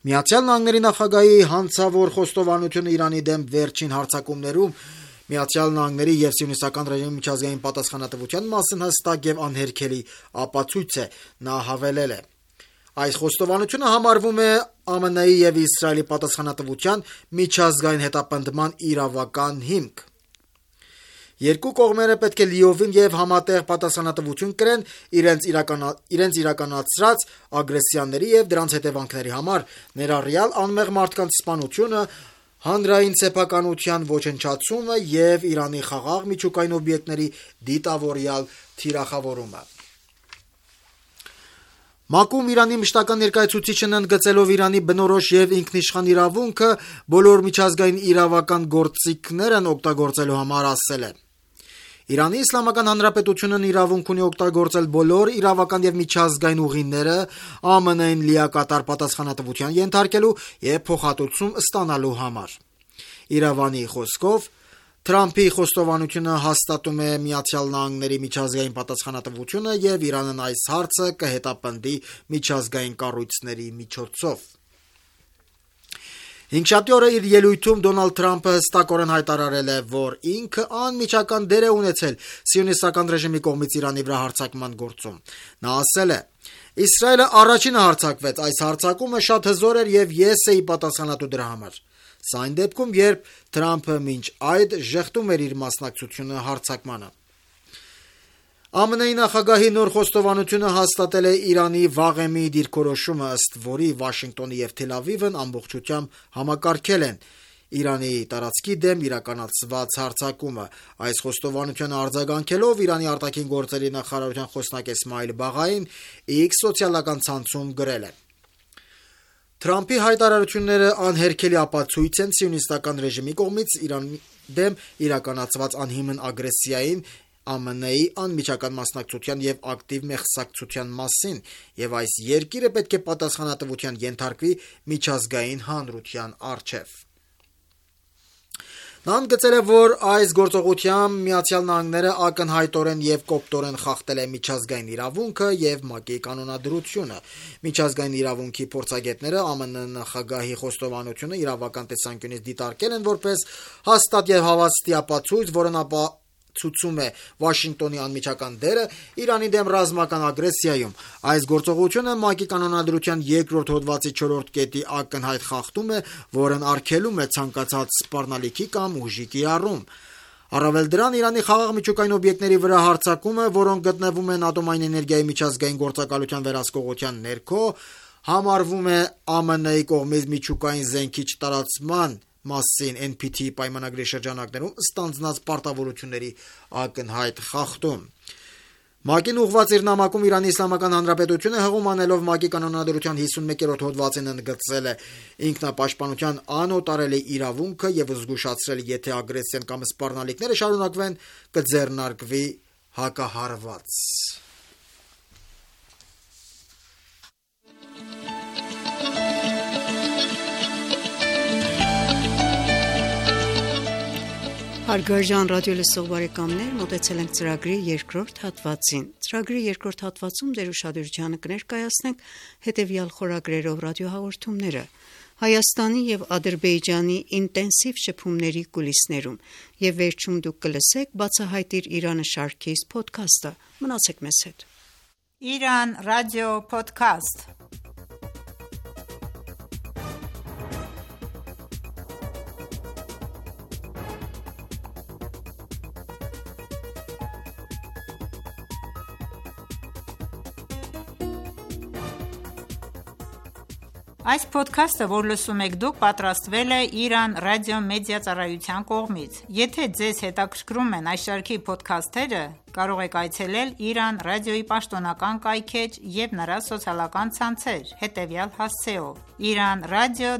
Միացյալ Նահանգների նախագահի հանցավոր խոստովանությունը Իրանի դեմ վերջին հարձակումներում Միացյալ Նահանգների եւ սիոնիստական ռեժիմի միջազգային պատասխանատվության մասին հստակ եւ անհերքելի ապացույց է, նա հավելել է. Այս խոստովանությունը համարվում է ԱՄՆ-ի եւ Իսրայելի պատասխանատվության միջազգային հետապնդման իրավական հիմք։ Երկու կողմերը պետք է լիովին եւ համատեղ պատասխանատվություն կրեն իրենց իրականացրած ագրեսիաների եւ դրանց հետևանքների համար, ներառյալ անմեղ մարդկանց սպանությունը, հանրային սեփականության ոչնչացումը եւ Իրանի խաղաղ միջուկային օբյեկտների դիտավորյալ թիրախավորումը։ ՄԱԿ-ում Իրանի մշտական ներկայացուցիչն ընդգծելով Իրանի բնորոշ եւ ինքնիշխան իրավունքը բոլոր միջազգային իրավական գործիքներն օգտագործելու համար ասել է. Իրանի Իսլամական Հանրապետությունն իրավունք ունի օգտագործել բոլոր իրավական եւ միջազգային ուղիները ԱՄՆ-ին լիակատար պատասխանատվության ենթարկելու եւ փոխհատուցում ստանալու համար։ Իրավանի խոսքով Թրամփի խոստովանությունը հաստատում է Միացյալ Նահանգների միջազգային պատասխանատվությունը եւ Իրանն այս հարցը կհետապնդի միջազգային կառույցների միջոցով։ Հինգշաբթի օրը իր ելույթում Դոնալդ Թրամփը հստակորեն հայտարարել է, որ ինքը անմիջական դեր է ունեցել սիոնիստական ռեժիմի կողմից Իրանի վրա հարձակման գործում։ Նա ասել է. Իսրայելը առաջինը հարձակվեց, այս հարձակումը շատ հզոր էր եւ ես էի պատասխանատու դրա համար։ Սա այն դեպքում, երբ Թրամփը մինչ այդ ժեղտում էր իր մասնակցությունը հարձակմանը։ ԱՄՆ-ի նախագահի նոր խոստովանությունը հաստատել է Իրանի վաղեմի դիրքորոշումը, ըստ որի Վաշինգտոնը եւ Թել Ավիվն ամբողջությամբ համակարգել են Իրանի տարածքի դեմ իրականացված հարձակումը։ Այս խոստովանությանը արձագանքելով Իրանի արտաքին գործերի նախարարության խոսնակ Էսմայիլ Բաղային X սոցիալական ցանցում գրել է. Թրամփի հայտարարությունները անհերքելի ապացույց են սիոնիստական ռեժիմի կողմից Իրանի դեմ իրականացված անհիմն ագրեսիային, ԱՄՆ-ի անմիջական մասնակցության եւ ակտիվ մեղսակցության մասին, եւ այս երկիրը պետք է պատասխանատվության ենթարկվի միջազգային հանրության առջև։ Նա ընդգծել է, որ այս գործողությամբ Միացյալ Նահանգները ակնհայտորեն եւ կոպտորեն խախտել է միջազգային իրավունքը եւ ՄԱԿ-ի կանոնադրությունը։ Միջազգային իրավունքի փորձագետները ԱՄՆ նախագահի խոստովանությունը իրավական տեսանկյունից դիտարկել են որպես հաստատ եւ հավաստի ապացույց, որն ցույցում է Վաշինգտոնի անմիջական դերը Իրանի դեմ ռազմական ագրեսիայում։ Այս գործողությունը ՄԱԿ-ի կանոնադրության 2-րդ հոդվածի 4-րդ կետի ակնհայտ խախտում է, որն արգելում է ցանկացած սպառնալիքի կամ ուժի կիրառում։ Առավել դրան, Իրանի խաղաղ միջուկային օբյեկտների վրա հարձակումը, որոնք գտնվում են ատոմային էներգիայի միջազգային գործակալության վերահսկողության ներքո, համարվում է ԱՄՆ-ի կողմից միջուկային զենքի չտարածման մասին NPT պայմանագրի շրջանակներում ստանձնած պարտավորությունների ակնհայտ խախտում։ ՄԱԿ-ին ուղղված իր նամակում Իրանի Իսլամական Հանրապետությունը հղում անելով ՄԱԿ-ի կանոնադրության 51-րդ հոդվածին ընդգծել է ինքնապաշտպանության անօտարելի իրավունքը եւ զգուշացրել, եթե ագրեսիան կամ սպառնալիքները շարունակվեն, կձեռնարկվի հակահարված։ Հարգարժան ռադիոլսող բարեկամներ, մոտեցել ենք ծրագրի երկրորդ հատվածին։ Ծրագրի երկրորդ հատվածում ձեր ուշադրությանը կներկայացնենք հետևյալ խորագրերով ռադիոհաղորդումները. Հայաստանի եւ Ադրբեջանի ինտենսիվ շփումների կուլիսներում եւ վերջում դուք կլսեք Բացահայտիր Իրանը շարքից փոդքասթը։ Մնացեք մեզ հետ։ Իրան ռադիո փոդքասթ։ Այս փոդքասթը, որ լսում եք դուք, պատրաստվել է Իրան ռադիո մեդիա ծառայության կողմից։ Եթե ձեզ հետաքրքրում են այս շարքի փոդքասթերը, կարող եք այցելել Իրան ռադիոյի պաշտոնական կայքէջ եւ նրա սոցիալական ցանցեր հետևյալ հասցեով՝ iranradio.ir/hy։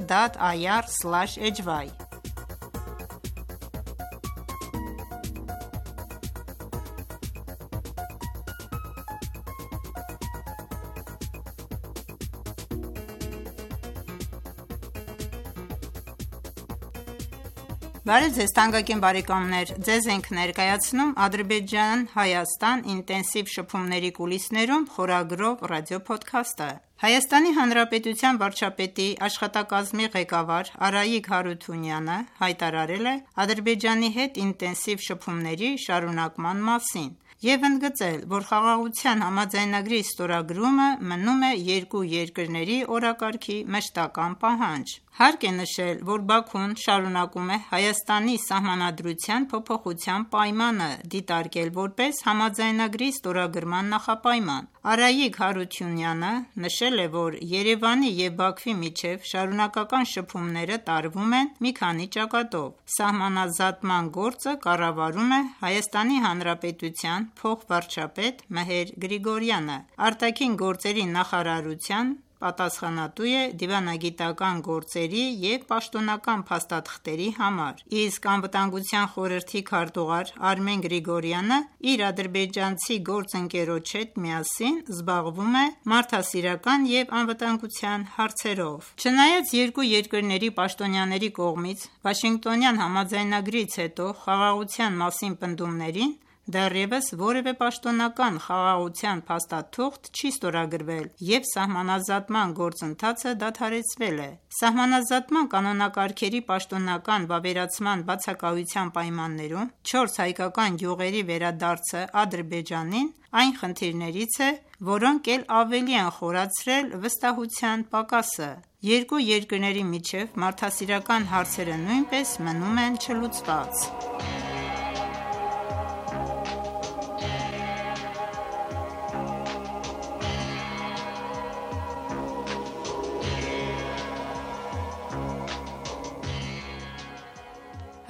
Բարև ձեզ թանկագին բարեկամներ, ձեզ ենք ներկայացնում Ադրբեջան-Հայաստան ինտենսիվ շփումների կուլիսներում խորագրով ռադիոփոդքասթը։ Հայաստանի Հանրապետության վարչապետի աշխատակազմի ղեկավար Արայիկ Հարութունյանը հայտարարել է Ադրբեջանի հետ ինտենսիվ շփումների շարունակման մասին եւ ընդգծել, որ խաղաղության համաձայնագրի ստորագրումը մնում է երկու երկրների օրակարգի մշտական պահանջ։ Հարկ է նշել, որ Բաքուն շարունակում է Հայաստանի սահմանադրության փոփոխության պայմանը դիտարկել որպես համաձայնագրի ստորագրման նախապայման։ Արայիկ Հարութունյանը նշել է, որ Երևանի եւ Բաքվի միջև շարունակական շփումները տարվում են մի քանի ճակատով։ Սահմանազատման գործը կառավարում է Հայաստանի Հանրապետության փոխվարչապետ Մեհեր Գրիգորյանը։ Արտաքին գործերի նախարարության պատասխանատու է դիվանագիտական գործերի եւ պաշտոնական փաստաթղթերի համար, իսկ անվտանգության խորհրդի քարտուղար Արմեն Գրիգորյանը իր ադրբեջանցի գործընկերոջ հետ միասին զբաղվում է մարդասիրական եւ անվտանգության հարցերով։ Չնայած երկու երկրների պաշտոնյաների կողմից Վաշինգտոնյան համաձայնագրից հետո խաղաղության մասին պնդումներին դեռևս որևէ պաշտոնական խաղաղության փաստաթուղթ չի ստորագրվել եւ սահմանազատման գործընթացը դադարեցվել է։ Սահմանազատման կանոնակարգերի պաշտոնական վավերացման բացակայության պայմաններում 4 հայկական գյուղերի վերադարձը Ադրբեջանին այն խնդիրներից է, որոնք էլ ավելի են խորացրել վստահության պակասը։ Երկու երկրների միջև մարդասիրական հարցերը նույնպես մնում են չլուծված։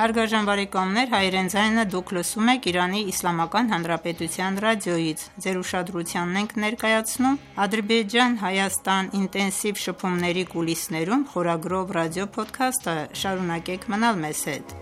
Հարգարժան բարեկամներ, հայերեն ձայնը դուք լսում եք Իրանի Իսլամական Հանրապետության ռադիոյից։ Ձեր ուշադրությանն ենք ներկայացնում Ադրբեջան-Հայաստան ինտենսիվ շփումների կուլիսներում խորագրով ռադիոփոդքասթը։ Շարունակեք մնալ մեզ հետ։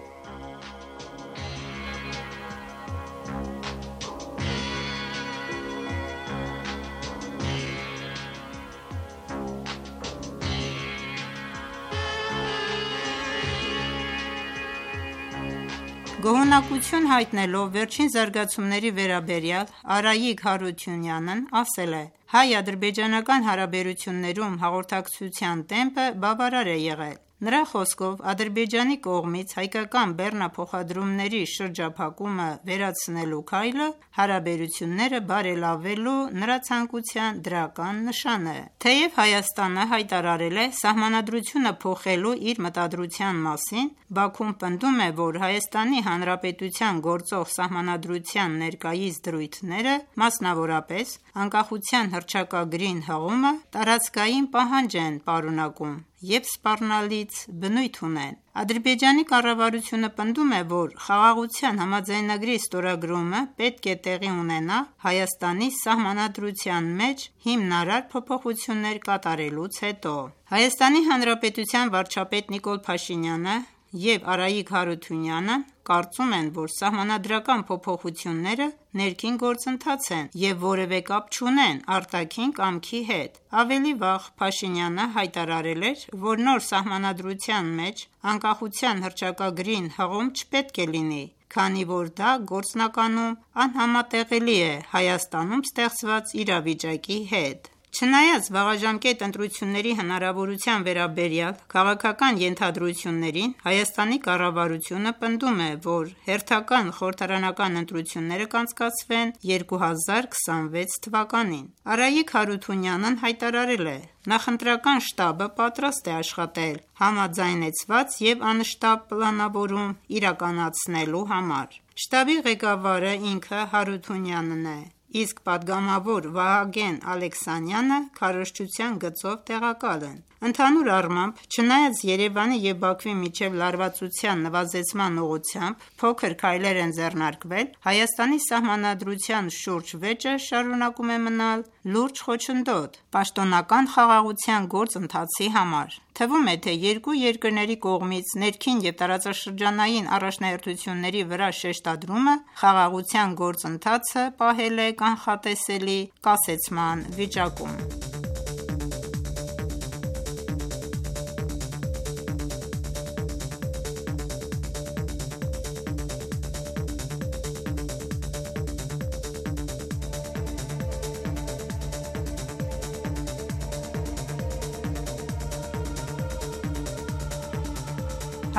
Գոհունակություն հայտնելով վերջին զարգացումների վերաբերյալ Արայիկ Հարությունյանն ասել է. հայ-ադրբեջանական հարաբերություններում հաղորդակցության տեմպը բավարար է եղել։ Նրա խոսքով Ադրբեջանի կողմից հայկական բեռնափոխադրումների շրջափակումը վերացնելու քայլը հարաբերությունները բարելավելու նրա ցանկության դրական նշան է։ Թեև Հայաստանը հայտարարել է սահմանադրությունը փոխելու իր մտադրության մասին, Բաքուն պնդում է, որ Հայաստանի Հանրապետության գործող սահմանադրության ներկայիս դրույթները, մասնավորապես անկախության հռչակագրին հղումը, տարածքային պահանջ են պարունակում և սպառնալից բնույթ ունեն։ Ադրբեջանի կառավարությունը պնդում է, որ Խաղաղության համաձայնագրի ստորագրումը պետք է տեղի ունենա Հայաստանի սահմանադրության մեջ հիմնարար փոփոխություններ կատարելուց հետո։ Հայաստանի Հանրապետության վարչապետ Նիկոլ Փաշինյանը և Արայիկ Հարությունյանը կարծում են, որ սահմանադրական փոփոխությունները ներքին գործընթաց են և որևէ կապ չունեն արտաքին կամքի հետ։ Ավելի վաղ Փաշինյանը հայտարարել էր, որ նոր սահմանադրության մեջ անկախության հռչակագրին հղում չպետք է լինի, քանի որ դա գործնականում անհամատեղելի է Հայաստանում ստեղծված իրավիճակի հետ։ Չնայած վաղաժամկետ ընտրությունների հնարավորության վերաբերյալ քաղաքական ենթադրություններին, Հայաստանի կառավարությունը պնդում է, որ հերթական խորհրդարանական ընտրությունները կանցկացվեն 2026 թվականին։ Արայիկ Հարությունյանն հայտարարել է. Նախընտրական շտաբը պատրաստ է աշխատել համաձայնեցված և անշտապ պլանավորում իրականացնելու համար։ Շտաբի ղեկավարը ինքը Հարությունյանն է, իսկ պատգամավոր Վահագն Ալեքսանյանը քարոզչության գծով տեղակալ են։ Ընդհանուր առմամբ, չնայած Երևանի և Բաքվի միջև լարվածության նվազեցման ուղղությամբ փոքր քայլեր են ձեռնարկվել, Հայաստանի սահմանադրության շուրջ վեճը շարունակում է մնալ լուրջ խոչընդոտ պաշտոնական խաղաղության գործընթացի համար։ Թվում է, թե երկու երկրների կողմից ներքին և տարածաշրջանային առաջնահերթությունների վրա շեշտադրումը խաղաղության գործընթացը պահել է կանխատեսելի կասեցման վիճակում։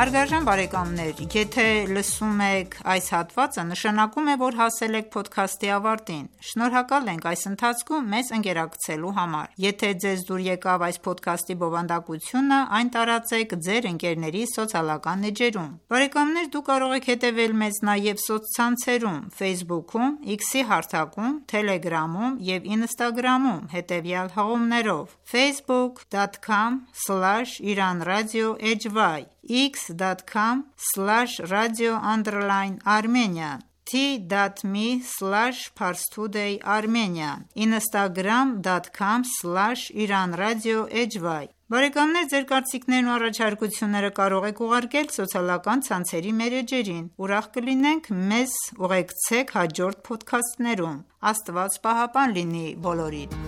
Հարգարժան բարեկամներ, եթե լսում եք այս հատվածը, նշանակում է, որ հասել եք փոդքասթի ավարտին։ Շնորհակալ ենք այս ընթացքում մեզ ընկերակցելու համար։ Եթե ձեզ դուր եկավ այս փոդքասթի բովանդակությունը, այն տարածեք ձեր ընկերների սոցիալական էջերում։ Բարեկամներ, դուք կարող եք հետևել մեզ նաև սոցցանցերում Facebook-ում, X-ի հարթակում, Telegram-ում և Instagram-ում հետևյալ հղումներով՝ facebook.com/iranradio.hy, x.com/radio_armenian, t.me/parstoday-armenian, instagram.com/iranradio.hy։ Բարեկամներ, ձեր կարծիքներն ու առաջարկությունները կարող եք ուղարկել սոցիալական ցանցերի մեր էջերին։ Ուրախ կլինենք մեզ ուղեկցեք հաջորդ փոդքասթներում։ Աստված պահապան լինի բոլորիդ։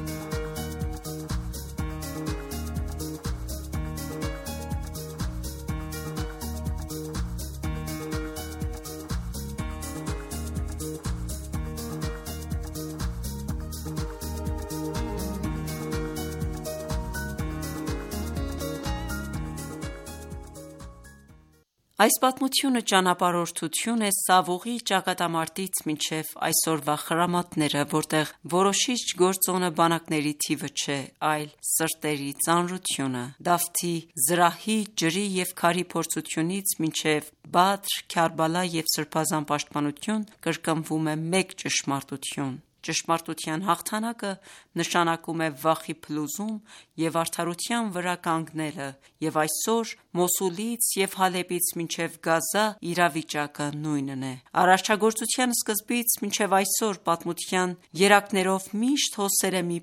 Այս պատմությունը ճանապարհորդություն է Սավուղի ճակատամարտից մինչև այսօրվա խրամատները, որտեղ որոշիչ գործոնը բանակների թիվը չէ, այլ սրտերի ծանրությունը։ Դավթի, զրահի, ջրի և քարի փորձությունից մինչև Բադր, Քարբալա և Սրբազան պաշտպանություն կրկնվում է մեկ ճշմարտություն։ Ճշմարտության հաղթանակը նշանակում է վախի փլուզում և արդարության վրա կանգնելը, և այսօր Մոսուլից և Հալեպից մինչև Գազա իրավիճակը նույնն է։ Արարչագործության սկզբից մինչև այսօր պատմության երակներով միշտ հոսել է մի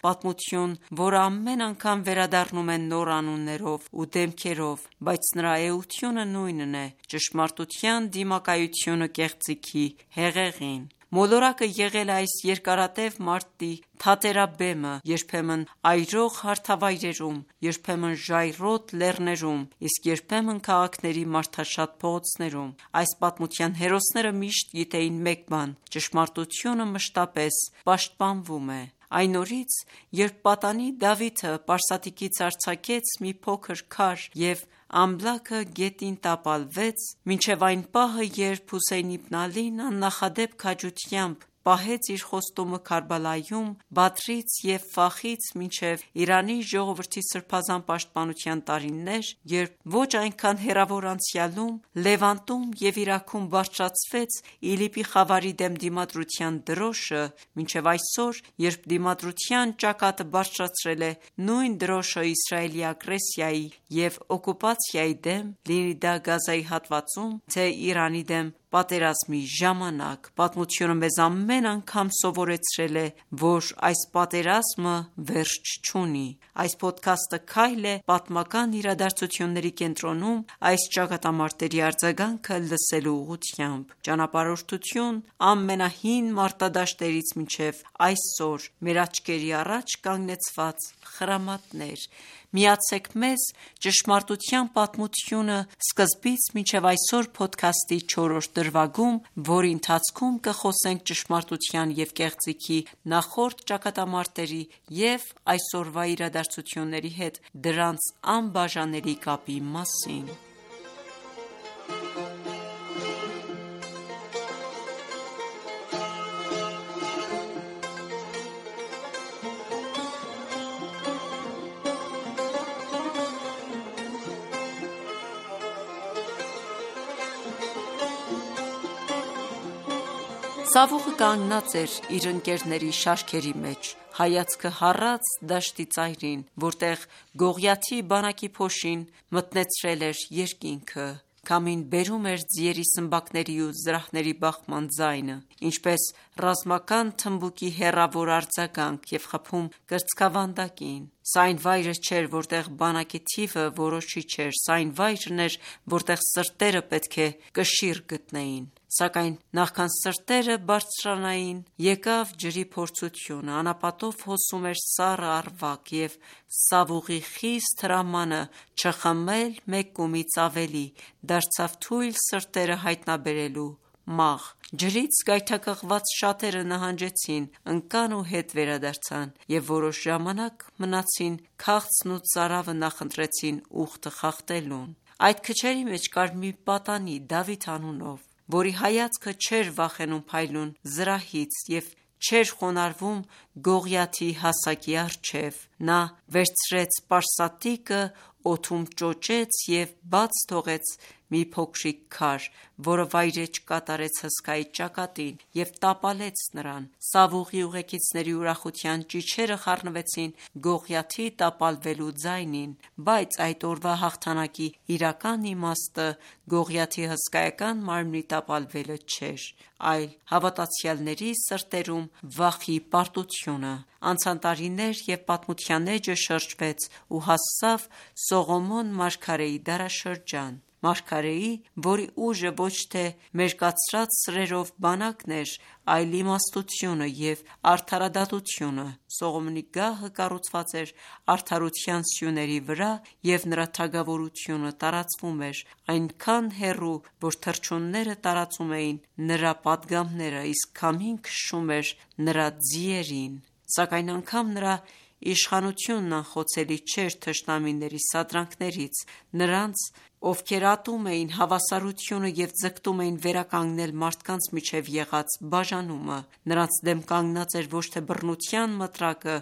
պատմություն, որը ամեն անգամ վերադառնում է նոր անուններով ու դեմքերով, բայց նրա էությունը նույնն է՝ ճշմարտության դիմակայությունը կեղծիքի հեղեղին։ Մոլորակը եղել է այս երկարատև մարտի թատերաբեմը, երբեմն այրող հարթավայրերում, երբեմն ժայռոտ լեռներում, իսկ երբեմն քաղաքների մարդաշատ փողոցներում։ Այս պատմության հերոսները միշտ գիտեին մեկ բան՝ ճշմարտությունը մշտապես պաշտպանվում է։ Այն օրից, երբ պատանի Դավիթը պարսատիկից արձակեց մի փոքր քար և ամբլաքը գետին տապալվեց, մինչև այն պահը, երբ Հուսեյն իբն Ալին աննախադեպ քաջությամբ պահեց իր խոստումը Քարբալայում, Բադրից և Ֆախից մինչև Իրանի ժողովրդի սրբազան պաշտպանության տարիներ, երբ ոչ այնքան հեռավոր անցյալում, Լևանտում և Իրաքում բարձրացվեց ԻԼԻՊ-ի խավարի դեմ դիմադրության դրոշը, մինչև այսօր, երբ դիմադրության ճակատը բարձրացրել է նույն դրոշը Իսրայելի ագրեսիայի և օկուպացիայի դեմ, լինի դա Գազայի հատվածում, թե Իրանի դեմ պատերազմի ժամանակ, պատմությունը մեզ ամեն անգամ սովորեցրել է, որ այս պատերազմը վերջ չունի։ Այս փոդքասթը քայլ է պատմական իրադարձությունների կենտրոնում այս ճակատամարտերի արձագանքը լսելու ուղղությամբ։ Ճանապարհորդություն ամենահին մարտադաշտերից մինչև այսօր, մեր աչքերի առաջ կանգնեցված խրամատներ։ Միացեք մեզ «Ճշմարտության պատմությունը» սկզբից մինչև այսօր փոդքասթի 4-րդ դրվագում, որի ընթացքում կխոսենք ճշմարտության և կեղծիքի նախորդ ճակատամարտերի և այսօրվա իրադարձությունների հետ դրանց անբաժանելի կապի մասին։ Սավուղը կանգնած էր իր ընկերների շարքերի մեջ, հայացքը հառած դաշտի ծայրին, որտեղ Գողիաթի բանակի փոշին մթնեցրել էր երկինքը։ Քամին բերում էր ձիերի սմբակների ու զրահների բախման ձայնը, ինչպես ռազմական թմբուկի հեռավոր արձագանք և խփում կրծքավանդակին։ Սա այն վայրը չէր, որտեղ բանակի թիվը որոշիչ էր, սա այն վայրն էր, որտեղ սրտերը պետք է կշիռ գտնեին։ Սակայն նախքան սրտերը բարձրանային, եկավ ջրի փորձությունը, անապատով հոսում էր սառը առվակ, և Սավուղի խիստ հրամանը չխմել մեկ կումից ավելի դարձավ թույլ սրտերը հայտնաբերելու մաղ։ Ջրից գայթակղված շատերը նահանջեցին, ընկան ու հետ վերադարձան և որոշ ժամանակ մնացին քաղցն ու ծարավը նախընտրեցին ուխտը խախտելուն։ Այդ քչերի մեջ կար մի պատանի Դավիթ անունով, որի հայացքը չէր վախենում փայլուն զրահից և չէր խոնարհվում Գողիաթի հասակի առջև։ Նա վերցրեց պարսատիկը, օդում ճոճեց և բաց թողեց մի փոքրիկ քար, որը վայրէջք կատարեց հսկայի ճակատին և տապալեց նրան։ Սավուղի ուղեկիցների ուրախության ճիչերը խառնվեցին Գողիաթի տապալվելու ձայնին, բայց այդ օրվա հաղթանակի իրական իմաստը Գողիաթի հսկայական մարմնի տապալվելը չէր, այլ հավատացյալների սրտերում վախի պարտությունը։ Անցան տարիներ և պատմության էջը շրջվեց ու հասավ Սողոմոն մարգարեի դարաշրջան։ Մարգարեի, որի ուժը ոչ թե մերկացրած սրերով բանակն էր, այլ իմաստությունը և արդարադատությունը։ Սողոմոնի գահը կառուցված էր արդարության սյուների վրա, և նրա թագավորությունը տարածվում էր այնքան հեռու, որ թռչունները տարածում էին նրա պատգամները, իսկ քամին քշում էր նրա ձիերին։ Սակայն անգամ նրա իշխանությունն անխոցելի չէր թշնամիների սադրանքներից, նրանց, ովքեր ատում էին հավասարությունը և ձգտում էին վերականգնել մարդկանց միջև եղած բաժանումը։ Նրանց դեմ կանգնած էր ոչ թե բռնության մտրակը,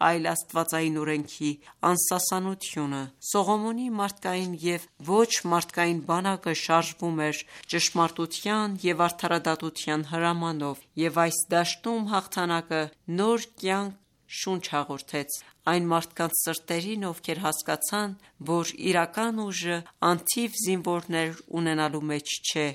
այլ աստվածային օրենքի անսասանությունը։ Սողոմոնի մարդկային և ոչ մարդկային բանակը շարժվում էր ճշմարտության և արդարադատության հրամանով, և այս դաշտում հաղթանակը նոր կյանք շունչ հաղորդեց այն մարդկանց սրտերին, ովքեր հասկացան, որ իրական ուժը անթիվ զինվորներ ունենալու մեջ չէ,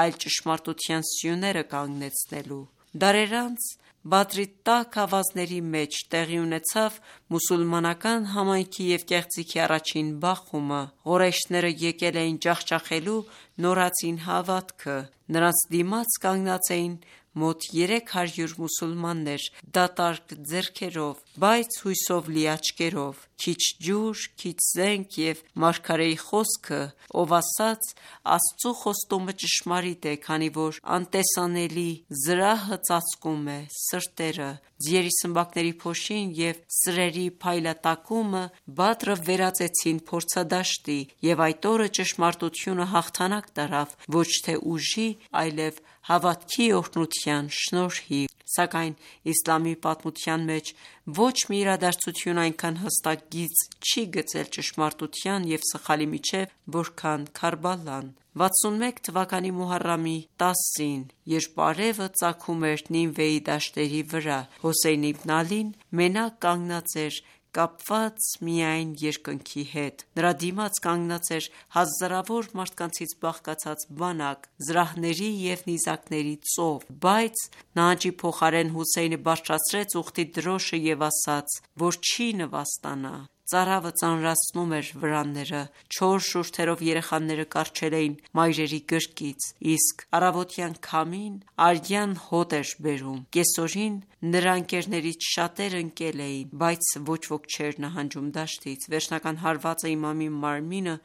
այլ ճշմարտության սյուները կանգնեցնելու։ Դարեր անց Բադրի տաք ավազների մեջ տեղի ունեցավ մուսուլմանական համայնքի և կեղծիքի առաջին բախումը։ Ղորեյշները եկել էին ջախջախելու նորածին հավատքը։ Նրանց դիմաց կանգնած էին մոտ 300 մուսուլմաններ դատարկ ձեռքերով, բայց հույսով լի աչքերով, քիչ ջուր, քիչ զենք և մարգարեի խոսքը, ով ասաց. «Աստծու խոստումը ճշմարիտ է, քանի որ անտեսանելի զրահը ծածկում է սրտերը, ձիերի սմբակների փոշին և սրերի փայլատակումը Բադրը վերածեցին փորձադաշտի, և այդ օրը ճշմարտությունը հաղթանակ տարավ ոչ թե ուժի, այլև հավատքի օրհնության շնորհիվ»։ Սակայն իսլամի պատմության մեջ ոչ մի իրադարձություն այնքան հստակ գիծ չի գծել ճշմարտության և սխալի միջև, որքան Քարբալան։ 61 թվականի Մոհարրամի 10-ին, երբ արևը ծագում էր Նինվեի դաշտերի վրա, Հոսեյն իբն Ալին մենակ կանգնած էր կապված միայն երկնքի հետ: Նրա դիմաց կանգնած էր հազարավոր մարդկանցից բաղկացած բանակ, զրահների և նիզակների ծով, բայց նահանջի փոխարեն Հոսեյնը բարձրացրեց ուխտի դրոշը և ասաց, որ չի նվաստանա: Ծարավը ծանրացնում էր վրանները, չոր շուրթերով երեխաները կառչել էին մայրերի գրկից, իսկ առավոտյան քամին արյան հոտ էր բերում: Կեսօրին նրա ընկերներից շատերը ընկել էին, բայց ոչ ոք չէր նահանջում դաշտից: Վերջնական հարվածը իմամի մարմինը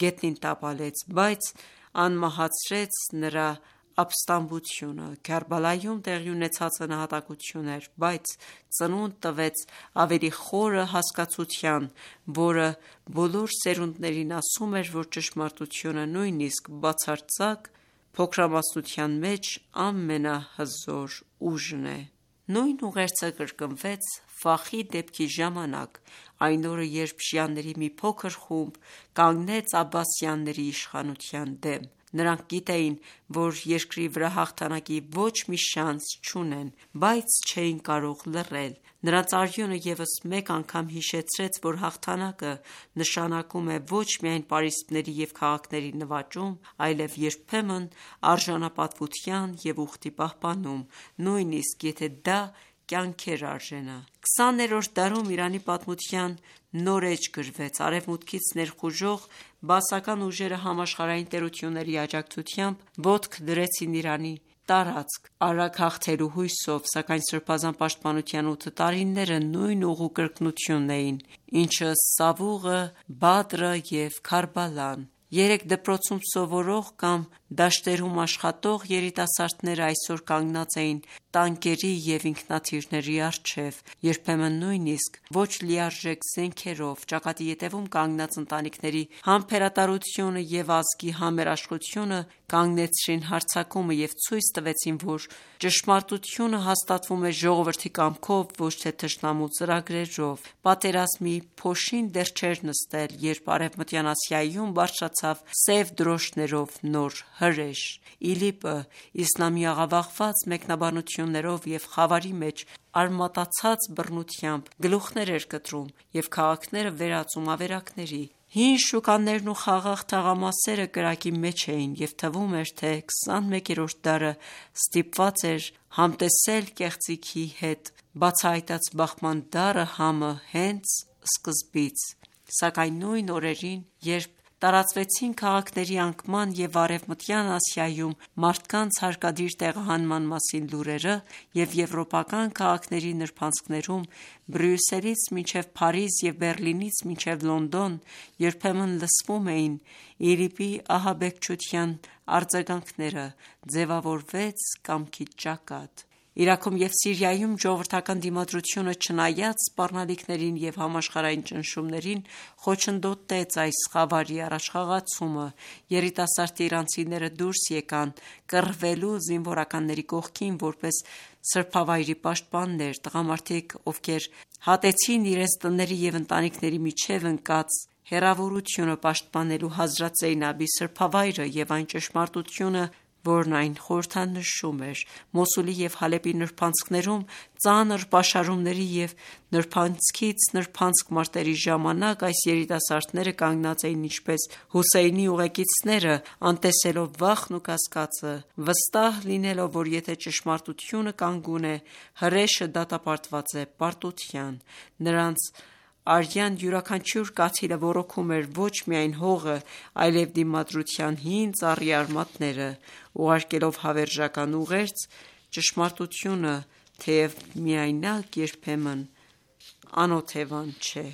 գետնին տապալեց, բայց անմահացրեց նրա ապստամբությունը: Քարբալայում տեղի ունեցածը նահատակություն էր, բայց ծնունդ տվեց ավելի խորը հասկացության, որը բոլոր սերունդներին ասում էր, որ ճշմարտությունը, նույնիսկ բացարձակ փոքրամասնության մեջ, ամենահզոր ուժն է: Նույն ուղերձը կրկնվեց Ֆախի դեպքի ժամանակ, այն օրը, երբ շիաների մի փոքր խումբ կանգնեց աբբասյանների իշխանության դեմ: Նրանք գիտեին, որ երկրի վրա հաղթանակի ոչ մի շանս չունեն, բայց չէին կարող լռել: Նրանց արյունը ևս մեկ անգամ հիշեցրեց, որ հաղթանակը նշանակում է ոչ միայն պարիսպների և քաղաքների նվաճում, այլև երբեմն արժանապատվության և ուխտի պահպանում, նույնիսկ եթե դա կյանքեր արժենա: 20-րդ դարում Իրանի պատմության նոր էջ գրվեց: Արևմուտքից ներխուժող բաասական ուժերը համաշխարհային տերությունների աջակցությամբ ոտք դրեցին Իրանի տարածք, արագ հաղթելու հույսով, սակայն Սրբազան պաշտպանության 8 տարիները նույն ուղու կրկնությունն էին, ինչը Սավուղը, Բադրը և Քարբալան: Երեք դպրոցում սովորող կամ դաշտերում աշխատող երիտասարդները այսօր կանգնած էին տանկերի և ինքնաթիռների առջև, երբեմն նույնիսկ ոչ լիարժեք զենքերով: Ճակատի ետևում կանգնած ընտանիքների համբերատարությունը և ազգի համերաշխությունը կանգնեցրին հարձակումը և ցույց տվեցին, որ ճշմարտությունը հաստատվում է ժողովրդի կամքով, ոչ թե թշնամու ծրագրերով: Պատերազմի փոշին դեռ չէր նստել, երբ Արևմտյան Ասիայում բարձրացավ սև դրոշներով նոր հրեշ: ԻԼԻՊ-ը իսլամի աղավաղված մեկնաբանություններով և խավարի մեջ արմատացած բռնությամբ գլուխներ էր կտրում և քաղաքները վերածում ավերակների: Հին շուկաներն ու խաղաղ թաղամասերը կրակի մեջ էին և թվում էր, թե 21-րդ դարը ստիպված էր համտեսել կեղծիքի հետ: Բացահայտած բախման դառը համը հենց սկզբից: Սակայն նույն օրերին, երբ տարածվեցին քաղաքների անկման և Արևմտյան Ասիայում մարդկանց հարկադիր տեղահանման մասին լուրերը և եվրոպական քաղաքների նրբանցքներում Բրյուսելից մինչև Փարիզ և Բեռլինից մինչև Լոնդոն երբեմն լսվում էին ԻԼԻՊ-ի ահաբեկչության արձագանքները, ձևավորվեց կամքի ճակատ: Իրաքում և Սիրիայում ժողովրդական դիմադրությունը, չնայած սպառնալիքներին և համաշխարհային ճնշումներին, խոչընդոտեց այս խավարի առաջխաղացումը: Երիտասարդ իրանցիները դուրս եկան կռվելու զինվորականների կողքին, որպես սրբավայրի պաշտպաններ: Տղամարդիկ, ովքեր հատեցին իրենց տների և ընտանիքների միջև ընկած հեռավորությունը պաշտպանելու Հազրաթ Զեյնաբի սրբավայրը և այն ճշմարտությունը, որն այն խորհրդանշում էր: Մոսուլի և Հալեպի նրբանցքներում ծանր պաշարումների և նրբանցքից նրբանցք մարտերի ժամանակ այս երիտասարդները կանգնած էին ինչպես Հոսեյնի ուղեկիցները, անտեսելով վախն ու կասկածը, վստահ լինելով, որ եթե ճշմարտությունը կանգուն է, հրեշը դատապարտված է պարտության: Նրանց արյան յուրաքանչյուր կաթիլը ոռոգում էր ոչ միայն հողը, այլև դիմադրության հին ծառի արմատները, ուղարկելով հավերժական ուղերձ ճշմարտությունը, թեև միայնակ երբեմն անօթևան չէ,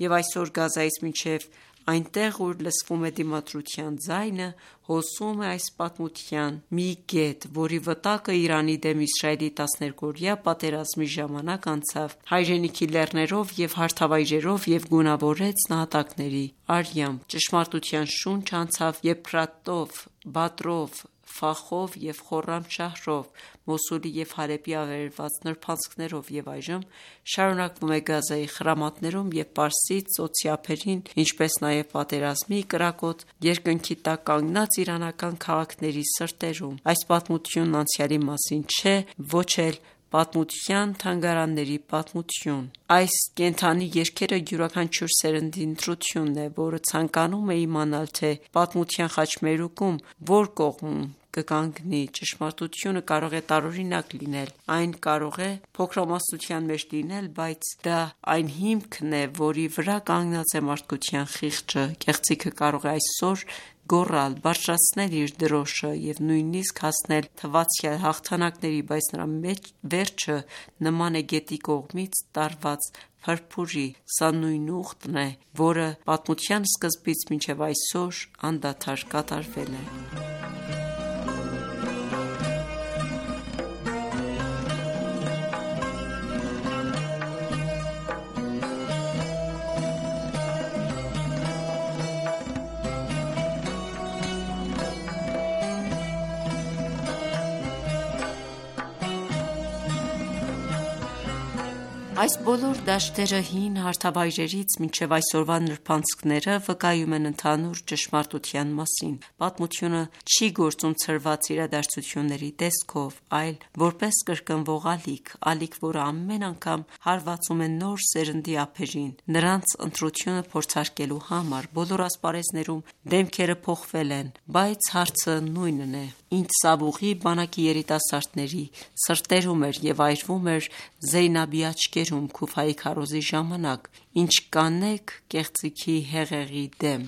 և այսօր Գազայից մինչև այնտեղ, ուր լսվում է դիմադրության ձայնը, հոսում է այս պատմության մի կետ, որի վտակը Իրանի դեմ Իսրայելի 12-օրյա պատերազմի ժամանակ անցավ հայրենիքի լեռներով և հարթավայրերով և գունավորեց նահատակների արյամբ: Ճշմարտության շունչ անցավ Եփրատով, Բադրով, Ֆախով և Խորրամշահրով, Մոսուլի և Հալեպի ավերված նրբանցքներով և այժմ շարունակվում է Գազայի խրամատներում և Պարսից ծոցի ափերին, ինչպես նաև պատերազմի կրակոտ երկնքի տակ կանգնած իրանական քաղաքների սրտերում: Այս պատմությունն անցյալի մասին չէ, ոչ էլ պատմության թանգարանների պատմություն: Այս կենդանի երգերը յուրաքանչյուր սերնդի ընտրությունն է, որը ցանկանում է իմանալ, թե պատմության խաչմերուկում որ կողմում կկանգնի: Ճշմարտությունը կարող է տարօրինակ լինել, այն կարող է փոքրամասնության մեջ լինել, բայց դա այն հիմքն է, որի վրա կանգնած է մարդկության խիղճը: Կեղծիքը կարող է այսօր գոռալ, բարձրացնել իր դրոշը և նույնիսկ հասնել թվացյալ հաղթանակների, բայց նրա վերջը նման է գետի կողմից տարված փրփուրի: Սա նույն ուխտն է, որը պատմության սկզբից մինչև այսօր անդադար կատարվել է: Այս բոլոր դաշտերը հին հարթավայրերից մինչև այսօրվա նրբանցքները վկայում են ընդհանուր ճշմարտության մասին: Պատմությունը չի գործում ցրված իրադարձությունների տեսքով, այլ որպես կրկնվող ալիք, որը ամեն անգամ հարվածում է նոր սերնդի ափերին, նրանց ընտրությունը փորձարկելու համար: Բոլոր ասպարեզներում դեմքերը փոխվել են, բայց հարցը նույնն է: Ինչ Սավուղի բանակի երիտասարդների սրտերում էր և այրվում էր Զեյնաբի աչքերում Քուֆայի քարոզի ժամանակ: Ինչ կանեք կեղծիքի հեղեղի դեմ: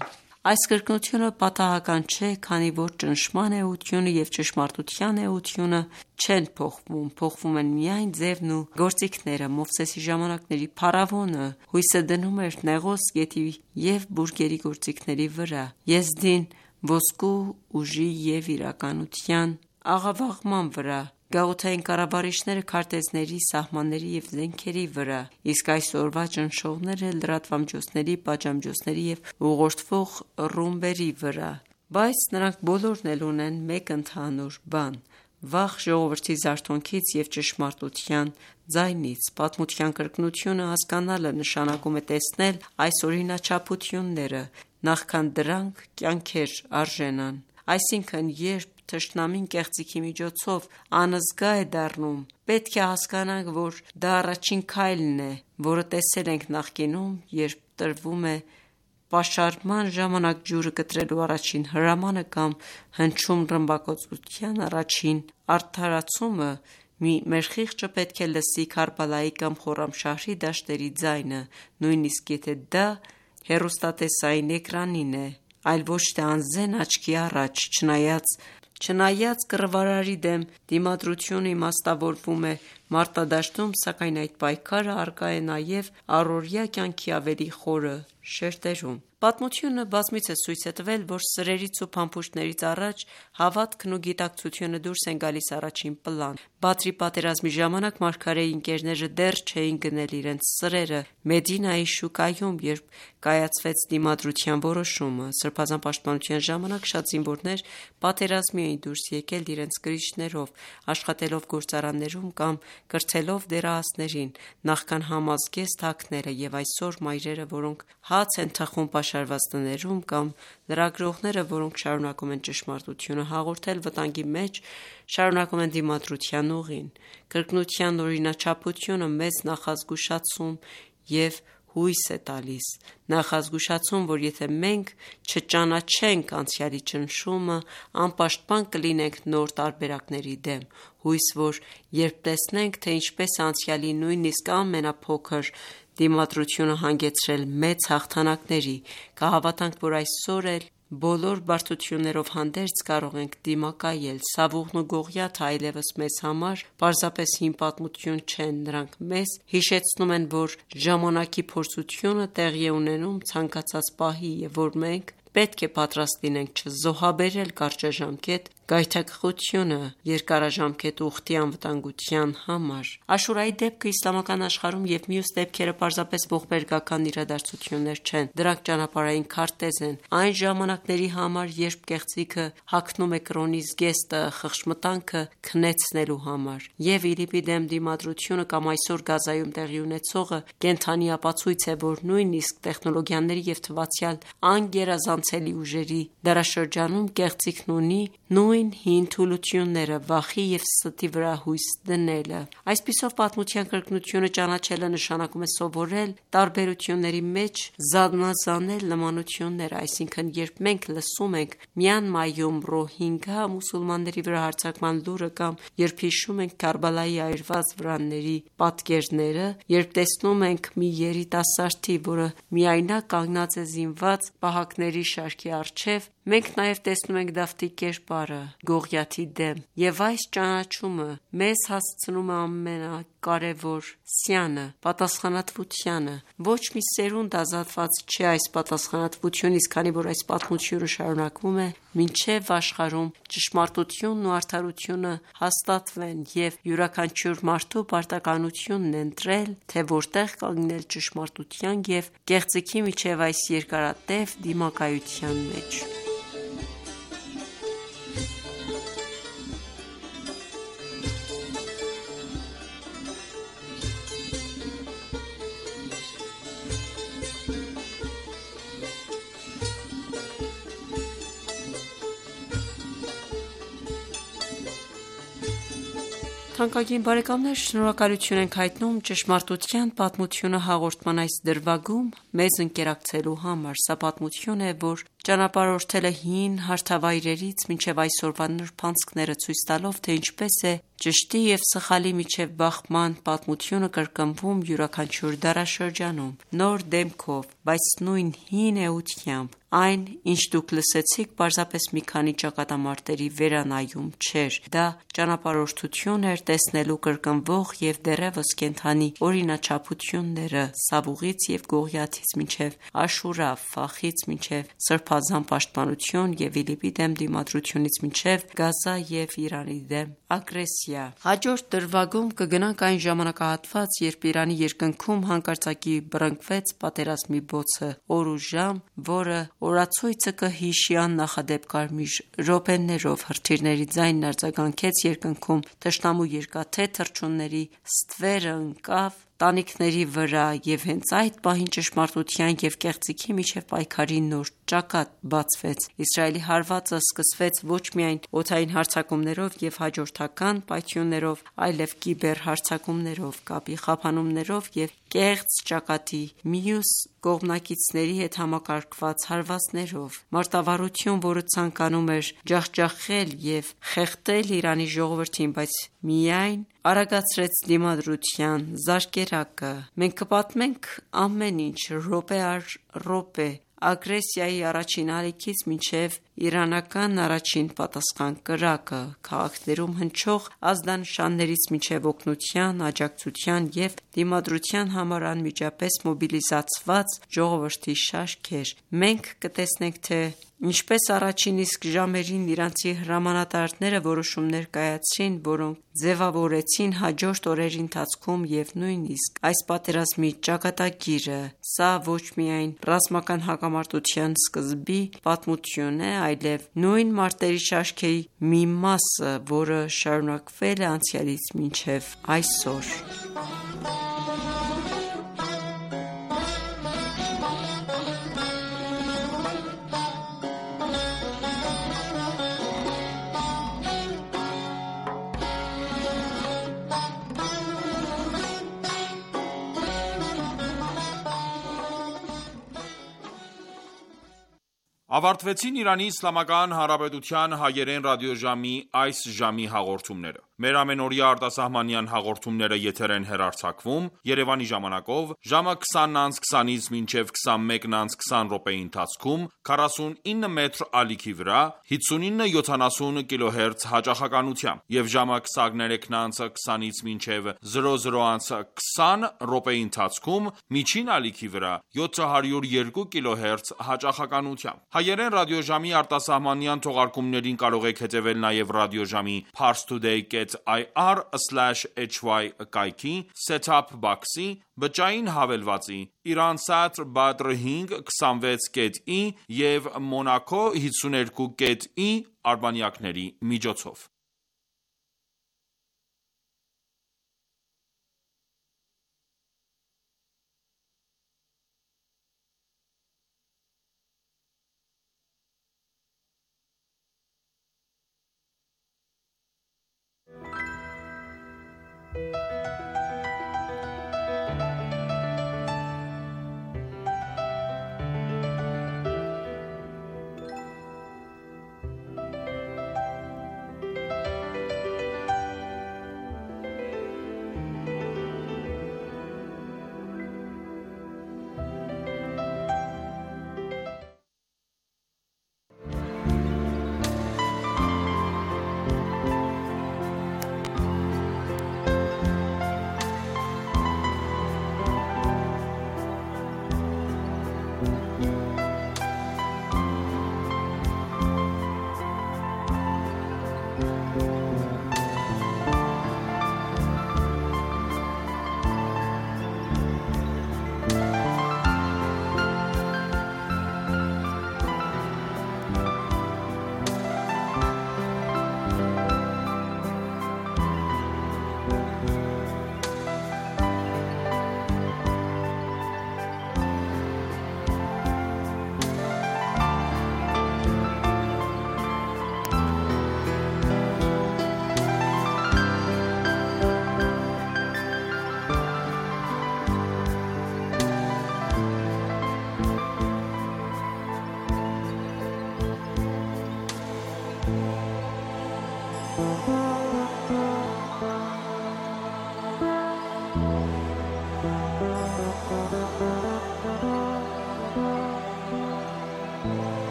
Այս կրկնությունը պատահական չէ, քանի որ ճնշման էությունը և ճշմարտության էությունը չեն փոխվում, փոխվում են միայն ձևն ու գործիքները: Մովսեսի ժամանակների փարավոնը հույսը դնում էր Նեղոս գետի և բուրգերի գործիքների վրա, Եզդին ոսկու ուժի և իրականության աղավաղման վրա, գաղութային կառավարիչները քարտեզների, սահմանների և զենքերի վրա, իսկ այսօրվա ճնշողները լրատվամիջոցների, պատժամիջոցների և ուղղորդվող ռումբերի վրա: Բայց նրանք բոլորն էլ ունեն մեկ ընդհանուր բան՝ վախ ժողովրդի զարթոնքից և ճշմարտության ձայնից: Պատմության կրկնությունը հասկանալը նշանակում է տեսնել այս օրինաչափությունները, նախքան դրանք կյանքեր արժենան: Այսինքն երբ թշնամին կեղծիքի միջոցով անզգա է դառնում, պետք է հասկանանք, որ դա առաջին քայլն է, որը տեսել ենք նախկինում, երբ տրվում է պաշարման ժամանակ ջուրը կտրելու առաջին հրամանը կամ հնչում ռմբակոծության առաջին արդարացումը, մեր խիղճը պետք է լսի Քարբալայի կամ Խորամշահրի դաշտերի ձայնը, նույնիսկ եթե դա հեռուստատեսային էկրանին է, այլ ոչ թե անզեն աչքի առաջ: Չնայած կռվարարի դեմ դիմադրությունը իմաստավորվում է մարտադաշտում, սակայն այդ պայքարը առկա է նաև առօրյա կյանքի ավելի խորը շերտերում: Պատմությունը բազմիցս ցույց է տվել, որ սրերից ու փամփուշտներից առաջ հավատքն ու գիտակցությունը դուրս են գալիս առաջին պլան: Բադրի պատերազմի ժամանակ մարգարեի ընկերները դեռ չէին գնել իրենց սրերը Մեդինայի շուկայում, երբ կայացվեց դիմադրության որոշումը: Սրբազան պաշտպանության ժամանակ շատ զինվորներ պատերազմի էին դուրս եկել իրենց կրիչներով, աշխատելով գործարաններում կամ կրթելով դեռահասներին, նախքան համազգեստ հագները: Եվ այսօր մայրերը, որոնք հաց են թխում պաշարված տներում, կամ լրագրողները, որոնք շարունակում են ճշմարտությունը հաղորդել վտանգի մեջ, շարունակում են դիմադրության ուղին: Կրկնության օրինաչափությունը մեզ նախազգուշացում և հույս է տալիս: Նախազգուշացում, որ եթե մենք չճանաչենք անցյալի ճնշումը, անպաշտպան կլինենք նոր տարբերակների դեմ: Հույս, որ երբ տեսնենք, թե ինչպես է անցյալի նույնիսկ ամենափոքր դիմադրությունը հանգեցրել մեծ հաղթանակների: Կհավատանք, որ այսօր էլ բոլոր բարդություններով հանդերձ կարող ենք դիմակայել: Սավուղն ու Գողիաթը այլևս մեզ համար պարզապես հին պատմություն չեն: Նրանք մեզ հիշեցնում են, որ ժամանակի փորձությունը տեղի է ունենում ցանկացած պահի և որ մենք պետք է պատրաստ լինենք չզոհաբերել կարճաժամկետ գայթակղությունը երկարաժամկետ ուխտի անվտանգության համար: Աշուրայի դեպքը իսլամական աշխարհում և մյուս դեպքերը պարզապես ողբերգական իրադարձություններ չեն: Դրանք ճանապարհային քարտեզ են այն ժամանակների համար, երբ կեղծիքը հագնում է կրոնի զգեստը խղճմտանքը քնեցնելու համար: Եվ ԻԼԻՊ-ի դեմ դիմադրությունը կամ այսօր Գազայում տեղի ունեցողը կենդանի ապացույց է, որ նույնիսկ տեխնոլոգիաների և թվացյալ անգերազանցելի ուժերի դարաշրջանում կեղծիքն ունի նույն հին թուլությունները՝ վախի և ստի վրա հույս դնելը: Այսպիսով, պատմության կրկնությունը ճանաչելը նշանակում է սովորել տարբերությունների մեջ զանազանել նմանությունները: Այսինքն, երբ մենք լսում ենք Մյանմայում ռոհինգա մուսուլմանների վրա հարձակման լուրը կամ երբ հիշում ենք Քարբալայի այրված վրանների պատկերները, երբ տեսնում ենք մի երիտասարդի, որը միայնակ կանգնած է զինված պահակների շարքի առջև, մենք նաև տեսնում ենք Դավթի կերպարը Գողիաթի դեմ: Եվ այս ճանաչումը մեզ հասցնում է ամենակարևոր սյանը՝ պատասխանատվությանը: Ոչ մի սերունդ ազատված չէ այս պատասխանատվությունից, քանի որ այս պատմությունը շարունակվում է մինչև աշխարհում ճշմարտությունն ու արդարությունը հաստատվեն և յուրաքանչյուր մարդու պարտականությունն է ընտրել, թե որտեղ կանգնել ճշմարտության և կեղծիքի միջև այս երկարատև դիմակայության մեջ: Թանկագին բարեկամներ, շնորհակալություն ենք հայտնում «Ճշմարտության պատմությունը» հաղորդման այս դրվագում մեզ ընկերակցելու համար: Սա պատմություն է, որ ճանապարհորդել է հին հարթավայրերից մինչև այսօրվա նրբանցքները, ցույց տալով, թե ինչպես է ճշտի և սխալի միջև բախման պատմությունը կրկնվում յուրաքանչյուր դարաշրջանում, նոր դեմքով, բայց նույն հին էությամբ: Այն, ինչ դուք լսեցիք, պարզապես մի քանի ճակատամարտերի veranayum չէր: Դա ճանապարհորդություն էր տեսնելու կրկնվող և դեռևս կենդանի օրինաչափությունները Սավուղից և Գողիաթից մինչև Աշուրա, Ֆախից մինչև սրբազան պաշտպանություն և ԻԼԻՊ-ի դեմ դիմադրությունից մինչև Գազա և Իրանի դեմ ագրեսիա: Հաջորդ դրվագում կգնանք այն ժամանակահատված, երբ Իրանի երկնքում հանկարծակի բռնկվեց պատերազմի բոցը: Օր ու ժամ, որը օրացույցը կհիշի աննախադեպ կարմիր րոպեներով: Հրթիռների ձայնն արձագանքեց երկնքում, թշնամու երկաթե թռչունների ստվերը ընկավ տանիքների վրա և հենց այդ պահին ճշմարտության և կեղծիքի միջև պայքարի նոր ճակատ բացվեց: Իսրայելի հարվածը սկսվեց ոչ միայն օդային հարձակումներով և հաջորդական պայթյուններով, այլև կիբեր հարձակումներով, կապի խափանումներով և կեղծ ճակատի մյուս կողմնակիցների հետ համակարգված հարվածներով: Մարտավարություն, որը ցանկանում էր ջախջախել և խեղդել Իրանի ժողովրդին, բայց միայն արագացրեց դիմադրության զարկերակը: Մենք կպատմենք ամեն ինչ րոպե առ րոպե, ագրեսիայի առաջին ալիքից մինչև իրանական առաջին պատասխան կրակը, քաղաքներում հնչող ազդանշաններից մինչև օգնության, աջակցության և դիմադրության համար անմիջապես մոբիլիզացված ժողովրդի շարքեր: Մենք կտեսնենք, թե ինչպես առաջին իսկ ժամերին իրանցի հրամանատարները որոշումներ կայացրին, որոնք ձևավորեցին հաջորդ օրերի ընթացքում և նույնիսկ այս պատերազմի ճակատագիրը: Սա ոչ միայն ռազմական հակամարտության սկզբի պատմություն է, այլև նույն մարտերի շարքերի մի մասը, որը շարունակվել է անցյալից մինչև այսօր: Ավարտվեցին Իրանի Իսլամական Հանրապետության հայերեն ռադիոժամի այս ժամի հաղորդումները: Մեր ամենօրյա արտասահմանյան հաղորդումները եթեր են հեռարձակվում Երևանի ժամանակով ժամը 20:20-ից մինչև 21:20 րոպեի ընթացքում 49 մետր ալիքի վրա 59-70 կիլոհերց հաճախականությամբ եւ ժամը 23:20-ից մինչև 00:20 րոպեի ընթացքում միջին ալիքի վրա 702 կիլոհերց հաճախականությամբ։ Հայերեն ռադիոժամի արտասահմանյան թողարկումներին կարող եք հետևել նաև ռադիոժամի parstoday.ir/hy կայքի, set-top box-ի, բջջային հավելվածի, Iransat Badr 5 26.i եւ Monaco 52.i արբանյակների միջոցով։